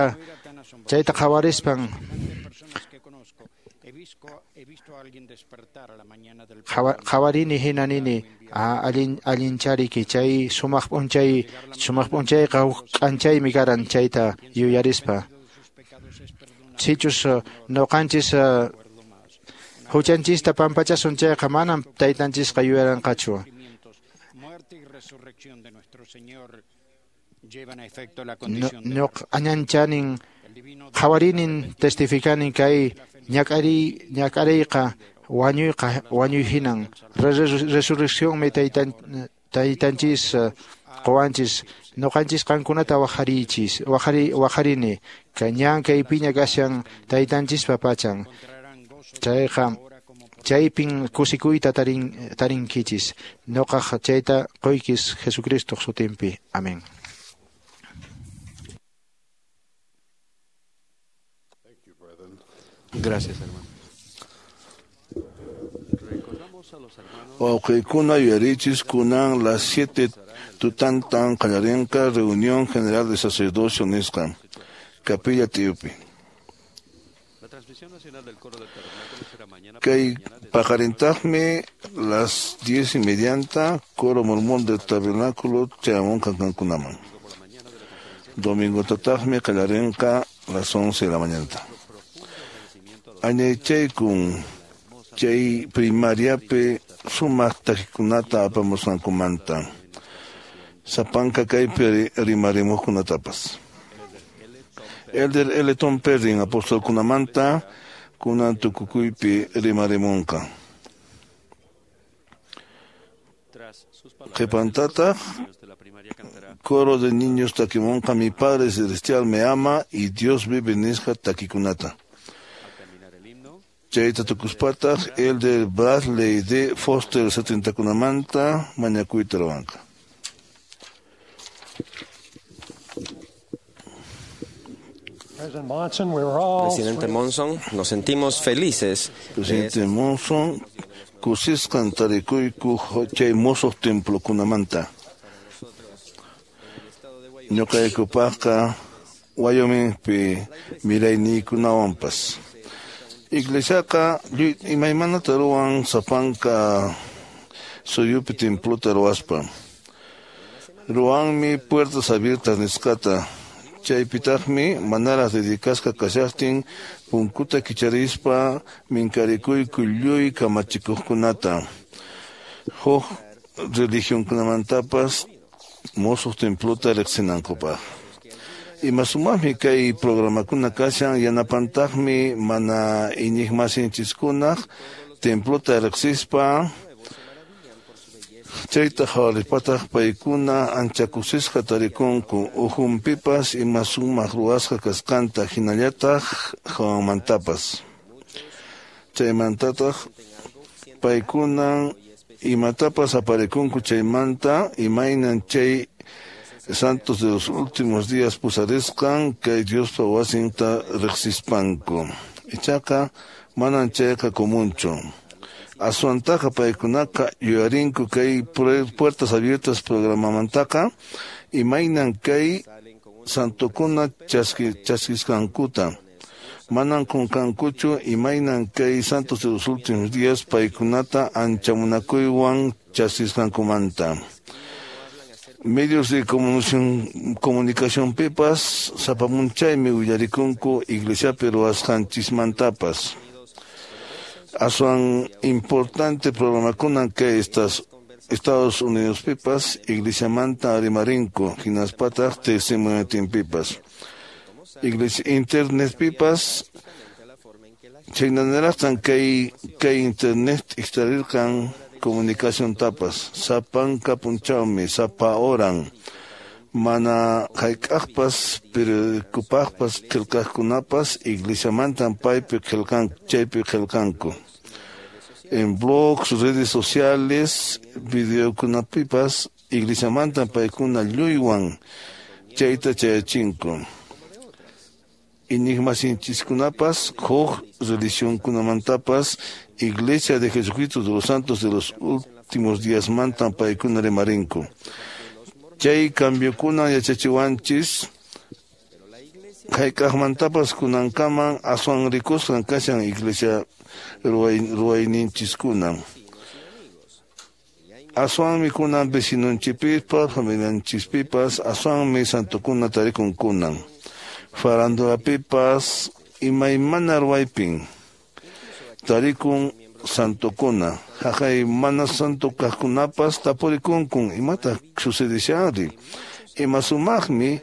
chayta qhawarispan qhawarini hina nini allinchariki chay sumaq p'unchayqa huk k'anchaymi karan chayta yuyarispa. Sichus nuqanchis huchanchista pampachasun chayqa manam taytanchisqa yuyaranqachu. Añanchanin qhawarinin testificanin kay ñak'ariyqa wañuy hinan. Resurreccionmi taytanchis qowanchis nuqanchis qankunata waqarini ñan kaypiña kashan taytanchispa pachan. Chayqa chaypin kusikuyta tarinkichis. Nuqaq chayta quykis Jesucristoq sutinpi. Amén. Gracias, hermano. Wawqiykuna yuyarichis kunan las 7 tutantan qallarinqa reunión general de sacerdocio nisqa Capilla Tiyupi. Kay paqarintaqmi las 10:30 coro mormón del tabernáculo chayamunqa kankunaman. Domingo tataqmi qallarinqa las 11 de la mañana. Añaychaykun chay primariapi sumaq takikunata apamusqankumanta sapanka kaypi rimarimuqkunatapas. Elder L. Tom Perrin apostolkunamanta kunan tukukuypi rimarimunqa. Qhipantataq coro de niños takimunqa Mi Padre Celestial me ama y Dios vive nisqa takikunata. Chayta tukuspataq Elder Bradley D. Foster 70kunamanta mañakuyta ruwanqa. Presidente Monson, nos sentimos felices. Presidente Monson, kusisqan tarikuyku chay musuq templokunamanta. Ñuqaykupaqqa Wyomingpi mirayniykunawanpas. Iglesiaqa imaymanata ruwan sapanka suyupi templota ruwaspa. Ruwanmi puertas abiertas nisqata. Chaypitaqmi manaraq dedicasqa kashaqtin punkuta kicharispa minkarikuyku lluy kamachikuqkunata. Huk religionkunamantapas musuq templota riqsinankupaq. Ima sumaqmi kay programakuna kashan yanapantaqmi mana iñiqmasinchiskunaq templota riqsispa chayta qhawarispataq paykuna ancha kusisqa tarikunku ukhunpipas ima sumaq ruwasqa kasqanta hinallataq hawanmantapas. Chaymantataq paykunan imatapas aparikunku chaymanta imaynan chay santos de los últimos días pusarisqan kay Diospa wasinta riqsispanku. Ichaqa manan chayqa comunchu. Aswantaqa paykunaqa yuyarinku kay Puertas Abiertas programamantaqa imaynan kay santokuna chaskisqankuta. Manan qunqankuchu imaynan kay santos de los últimos días paykunata ancha munakuywan chaskisqankumanta. Medios de comunicación pipas sapamunchaymi willarikunku iglesiapi ruwasqanchismantapas. Aswan importante programakunan kay estas Estados Unidos pipas iglesiamanta rimarinku hinaspataq testimoniotinpipas. Iglesia internet pipas chaynanaraqtan kay internet ixtarirqan comunicación tapas sapanka punchawmi sapa horan mana hayk'aqpas periodicopaqpas qillqaqkunapas iglesiamantan paypi qillqanku chaypi qillqanku. En blogs, redes sociales, videokunapipas iglesiamantan paykuna lluywan chayta chayachinku. Iñiqmasinchiskunapas huk religionkunamantapas Iglesia de Jesucristo de los Santos de los Últimos Días mantan paykuna rimarinku. Chay cambiokuna yachachiwanchis hayk'aqmantapas kunankaman aswan rikusqan kashan iglesia ruwayninchiskuna. Aswanmi kunan vecinonchipipas, familianchispipas, aswanmi santokuna tarikun kunan. Farandulapipas imaymana ruwaypin tarikun santokuna. Haqay mana santo kaqkunapas tapurikunkun imataq sucedishanri. Ima sumaqmi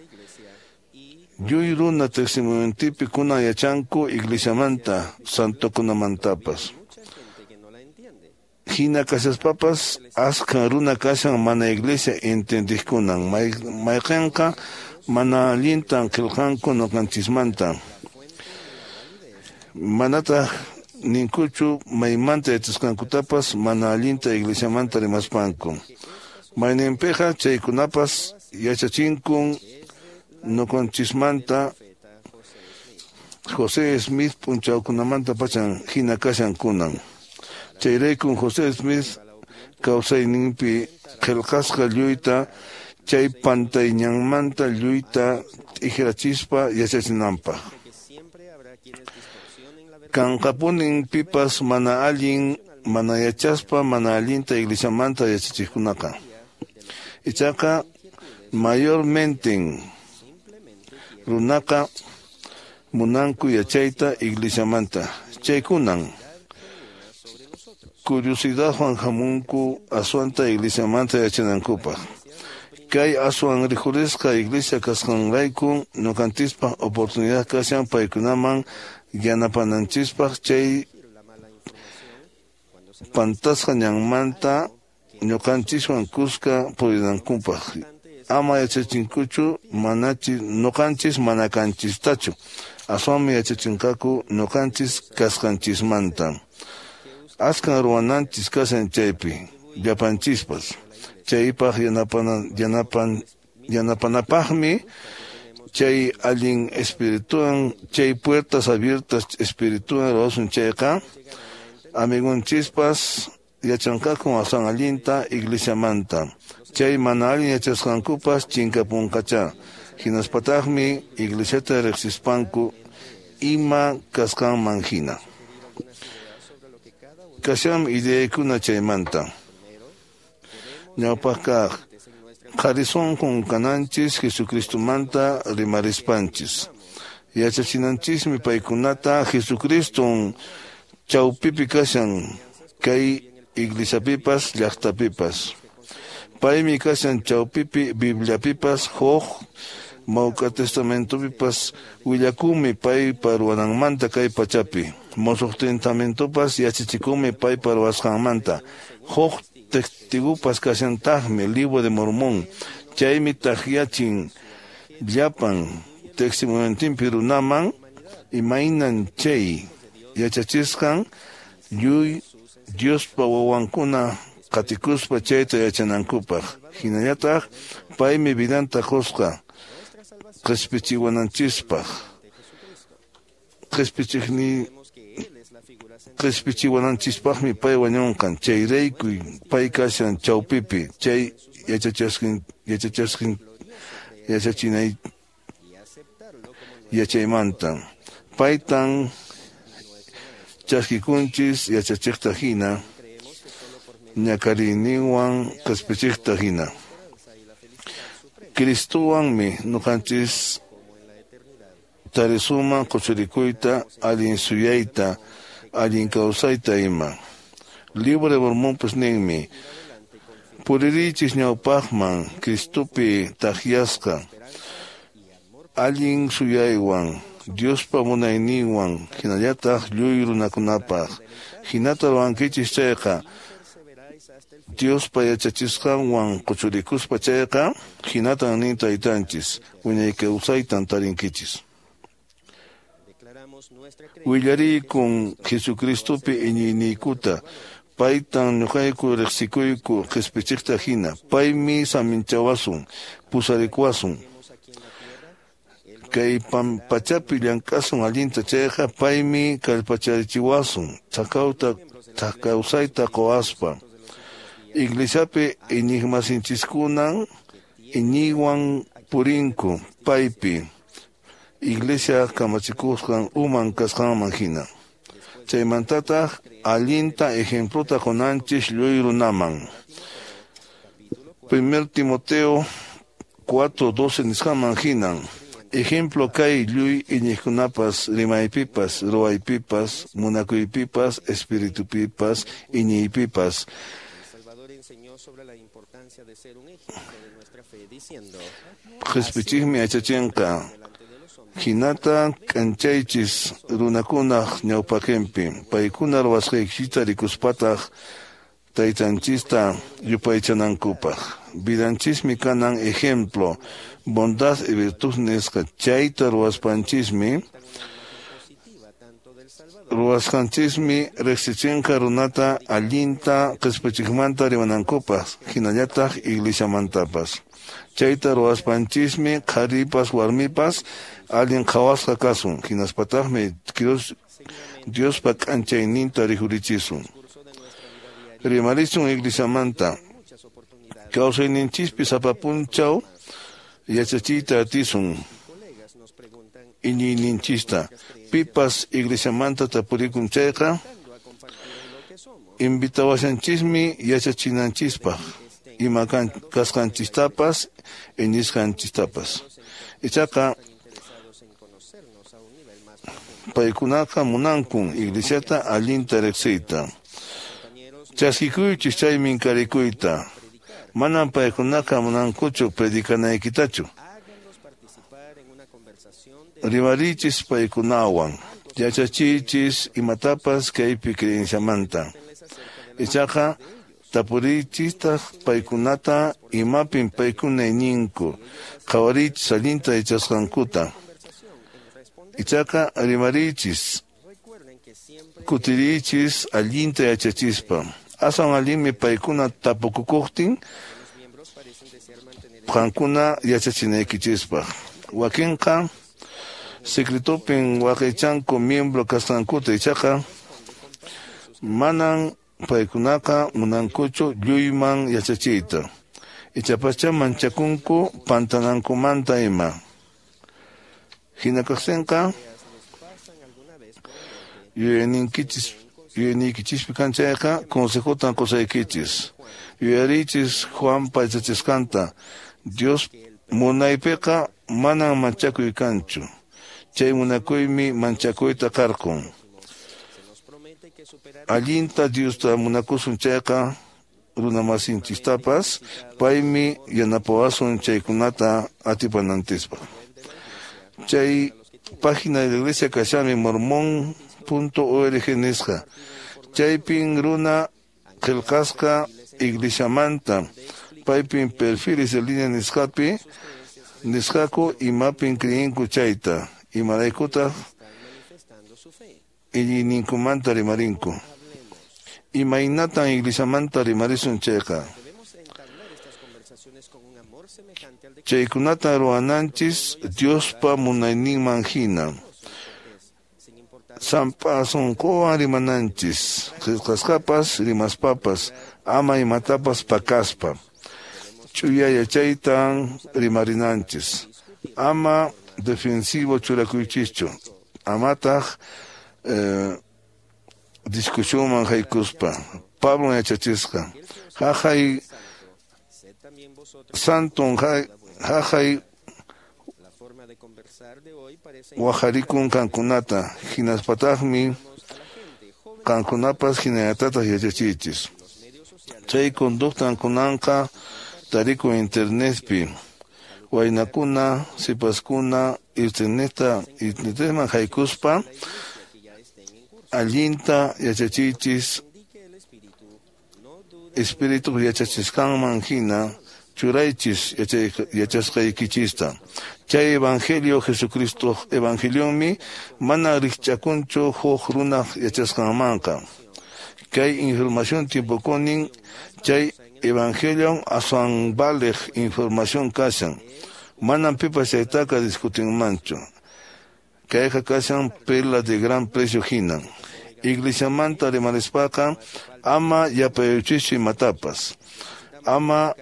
lluy runa testimoniotipi kunan yachanku iglesiamanta santokunamantapas. Hina kashaspapas askha runa kashan mana iglesia entendiqkunan mayqinqa mana allintan qillqanku ñuqanchismanta. Manataq ninkuchu maymanta yachasqankutapas mana allinta iglesiamanta rimaspanku. Mayninpiqa chaykunapas yachachinkun ñuqanchismanta José Smith p'unchawkunamanta pachan hina kashan kunan. Chayraykun José Smith kawsayninpi qillqasqa lluyta chay pantayñanmanta lluyta t'ikrachispa yachachinanpaq. Kanqapunin pipas mana allin mana yachaspa mana allinta iglesiamanta yachachiqkunaqa. Ichaqa mayormente runaqa munanku yachayta iglesiamanta. Chaykunan curiosidadwan hamunku aswanta iglesiamanta yachanankupaq. Kay aswan rikhurisqa iglesia kasqanrayku ñuqanchispaq oportunidad kashan paykunaman yanapananchispaq chay pantasqa ñanmanta ñuqanchiswan kuska purinankupaq. Ama yachachinkuchu manachi ñuqanchis mana kanchistachu aswanmi yachachinqaku ñuqanchis kasqanchismanta. Askan ruwananchis kashan chaypi llapanchispas. Chaypaq yanapanapaqmi chay allin espirituan chay puertas abiertas espirituan ruwasun chayqa amigonchispas yachanqaku aswan allinta iglesiamanta. Chay mana allin yachasqankupas chinkapunqachá. Hinaspataqmi iglesiata riqsispanku ima kasqanman hina. Kashan ideakuna chaymanta. Ñawpaq kaq Qharisunqun kananchis Jesucristomanta rimarispanchis. Yachachinanchismi paykunata Jesucriston chawpipi kashan kay iglesiapipas llaqtapipas. Paymi kashan chawpipi Bibliapipas huk Mawka Testamentopipas willakunmi paypa ruwananmanta kay pachapi. Musuq Testamentopas yachachikunmi paypa ruwasqanmanta. Huk testigupas kashantaqmi Libro de Mormón. Chaymi takyachin llapan testimoniotinpi runaman imaynan chay yachachisqan lluy Diospa wawankuna qatikuspa chayta yachanankupaq. Hinallataq paymi vidanta qusqa qhispichiwananchispaq. Qhispichiwananchispaqmi pay wañunqan. Chayrayku pay kashan chawpipi chay yachachinay yachaymanta. Paytan chaskikunchis yachachiqta hina ñakariyninwan qhispichiqta hina. Cristowanmi ñuqanchis tarisuman quchurikuyta, allin suyayta, allin kawsayta ima. Libro de Mormónpas ninmi, puririychis ñawpaqman Cristopi takyasqa, allin suyaywan, Diospa munayninwan, hinallataq lluy runakunapaq. Hinata ruwankichis chayqa, Diospa yachachisqanwan quchurikuspa chayqa, hinatan nin taytanchis, wiñay kawsaytan tarinkichis. Willariykun Jesucristopi iñiyniykuta, paytan ñuqayku riqsikuyku qhispichiqta hina, paymi saminchawasun, pusarikuwasun. Kay pachapi llank'asun allinta chayqa, paymi kallpacharichiwasun, kawsayta quwaspa. Iglesiapi iñiqmasinchiskunan iñiywan purinku paypi, iglesia kamachikusqan uman kasqanman hina. Chaymantataq allinta ejemplota qunanchis lluy runaman. 1 Timoteo 4:12 nisqanman hinan. Ejemplo kay lluy iñiqkunapas rimaypipas, ruwaypipas, munakuypipas, espiritupipas, iñiypipas. Qhispichiqmi yachachinqa. Hinata k'anchaychis runakunaq ñawpaqinpi, paykuna ruwasqaykichista rikuspataq taytanchista yupaychanankupaq. Vidanchismi kanan ejemplo, bondad y virtud nisqa. Chayta ruwaspanchismi, ruwasqanchismi riqsichinqa runata allinta qhispichiqmanta rimanankupaq, hinallataq iglesiamantapas. Chayta ruwaspanchismi qharipas warmipas allin qhawasqa kasun, hinaspataqmi Diospa k'anchayninta rikhurichisun. Rimarisun iglesiamanta. Kawsayninchispi sapa p'unchaw yachachiyta atisun iñiyninchista. Pipas iglesiamanta tapurikun chayqa, invitawashanchismi yachachinanchispaq ima kasqanchistapas iñisqanchistapas. Ichaqa paykunaqa munankun iglesiata allinta riqsiyta. Chaskikuychis chay minkarikuyta. Manan paykunaqa munankuchu predicanaykitachu. Rimarichis paykunawan, yachachiychis imatapas kaypi creenciamanta. Ichaqa tapurichistaq paykunata imapin paykuna iñinku, qhawarichis allinta yachasqankuta. Ichaqa rimarichis, kutirichis allinta yachachispa. Aswan allinmi paykuna tapukukuqtin qankuna yachachinaykichispaq. Wakinqa secretopin waqaychanku miembro kasqankuta, ichaqa manan paykunaqa munankuchu lluyman yachachiyta. Ichapaschá manchakunku pantanankumanta ima. Hina kaqtinqa yuyayninkichis yuyayniykichispi kan chayqa consejotan qusaykichis. Yuyariychis Juanpa yachachisqanta. Dios munaypiqa manan manchakuy kanchu. Chay munakuymi manchakuyta qarqun. Allinta Diosta munakusun chayqa runamasinchistapas paymi yanapawasun chaykunata atipananchispaq. Chay página de la iglesia kashami mormon.org nisqa. Chaypin runa qillqasqa iglesiamanta paypin perfiles de línea nisqapi nisqaku imapin creenku chayta imaraykutaq iñiyninkumanta rimarinku. Imaynatan iglesiamanta rimarisun chayqa. Chaykunata ruwananchis Diospa munayninman hina. Sampa sunquwan rimananchis, qillqasqapas rimaspapas, ama imatapas pakaspa. Ch'uya yachaytan rimarinanchis. Ama defensivo churakuychischu. Amataq discusionman haykuspa. Pablo yachachisqa. Haqay santon haqay waharikun qankunata hinaspataqmi qankunapas hinallatataq yachachiychis. Chay conductan kunanqa tarikun internetpi. Waynakuna, sipaskuna, internetman haykuspa allinta yachachiychis espíritu yachachisqanman hina churaychis yachasqaykichista. Chay evangelio Jesucristo evangelionmi mana rikch'akunchu huk runaq yachasqanmanqa. Kay información tiempokunin chay evangelion aswan valeq información kashan. Manan pipas chaytaqa discutinmanchu. Kayqa kashan perla de gran precio hina. Iglesiamanta rimarispaqa ama yapayuchischu imatapas. Ama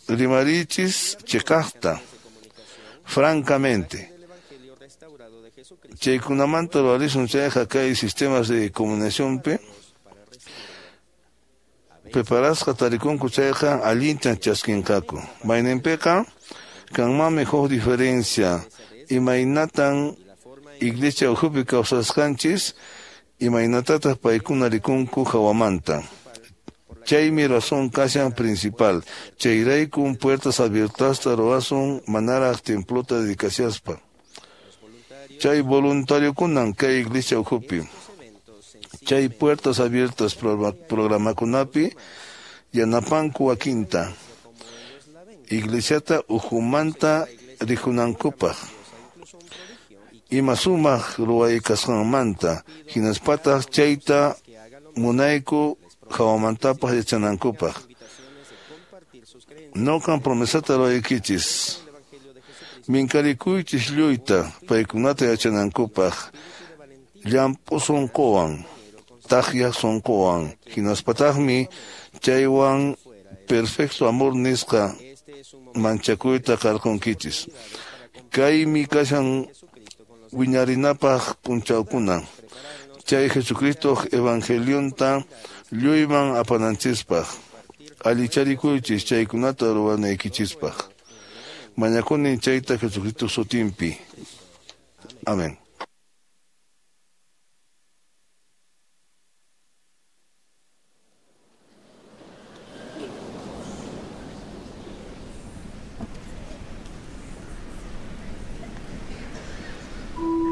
rimarichis chiqaqta, francamente. Chaykunamanta ruwarisun chayqa kay sistemas de comunicacionpi preparasqa tarikunku chayqa allintan chaskinqaku. Mayninpiqa kanmanmi huk diferencia imaynatan iglesia ukhupi kawsasqanchis imaynatataq paykuna rikunku hawamanta. Chaymi razón kashan principal. Chayraykun puertas abiertasta ruwasun manaraq templota dedicasiaspa. Chay voluntariokunan kay iglesia ukhupi. Chay puertas abiertas programakunapi yanapanku wakinta. Iglesiata ukhumanta rikunankupaq. Ima sumaq ruway kasqanmanta hinaspataq chayta munayku hawamantapas yachanankupaq. Noqan promesata ruwaykichis. Minkarikuychis lluyta paykunata yachanankupaq llamp'u sunquwan, taqyaq sunquwan, hinaspataqmi chaywan perfecto amor nisqa manchakuyta qarqunkichis. Kaymi kashan wiñarinapaq p'unchawkuna. Chay Jesucristo evangelionta lluyman apananchispaq. Allicharikuychis chaykunata ruwanaykichispaq. Mañakuni chayta Jesucristo sutinpi. Amén. Ever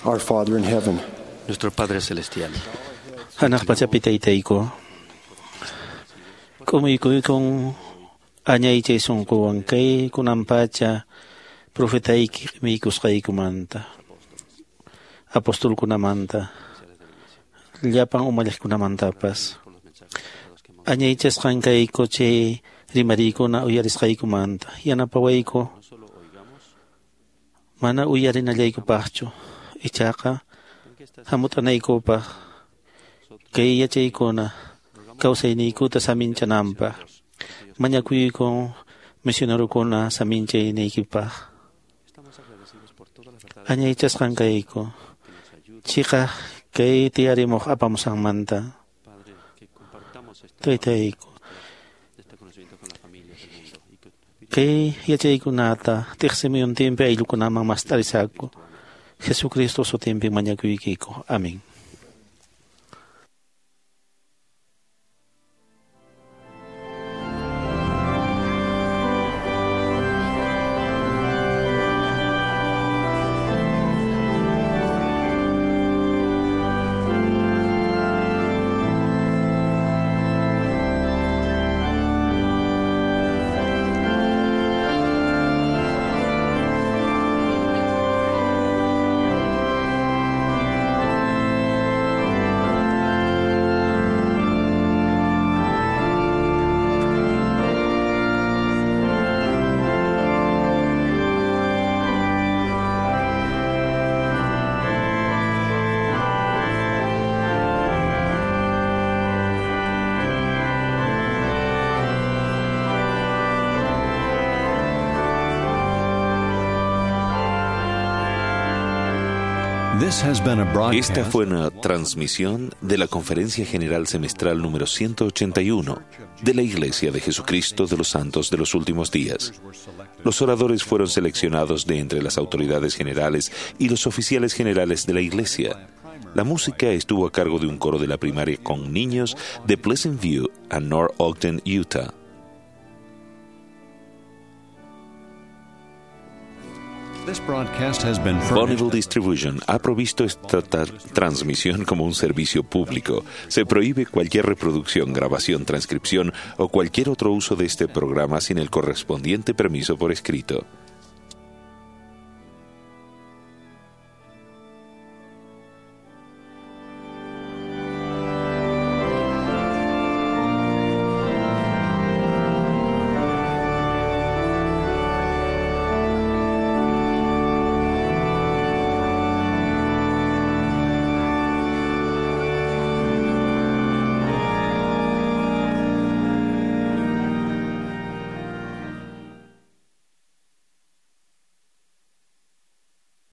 Our Father in heaven. Nuestro Padre Celestial. Hanaq pachapi taytayku, k'umuykuykun añaychay sunquwan kay kunan pacha profetayki q'imiykusqaykumanta, apostolkunamanta, llapan umalliqkunamantapas. Añaychasqan kayku chay rimariykuna uyarisqaykumanta, yanapawayku mana uyarinallaykupaqchu, ichaqa hamut'anaykupaq kay yachaykuna kawsayniykuta saminchananpaq. Mañakuykun misionerokuna saminchayniykipaq. Añaychasqan kayku chiqaq kay tiyarimuq apamusqanmanta. Taytayku, kay yachaykunata tiqsimuyuntinpi ayllukunaman mast'arisaku. Jesucristo sutinpi mañakuykiku. Amén. Esta fue una transmisión de la Conferencia General Semestral número 181 de la Iglesia de Jesucristo de los Santos de los Últimos Días. Los oradores fueron seleccionados de entre las autoridades generales y los oficiales generales de la Iglesia. La música estuvo a cargo de un coro de la primaria con niños de Pleasant View a North Ogden, Utah. Bonneville Distribution ha provisto esta transmisión como un servicio público. Se prohíbe cualquier reproducción, grabación, transcripción o cualquier otro uso de este programa sin el correspondiente permiso por escrito.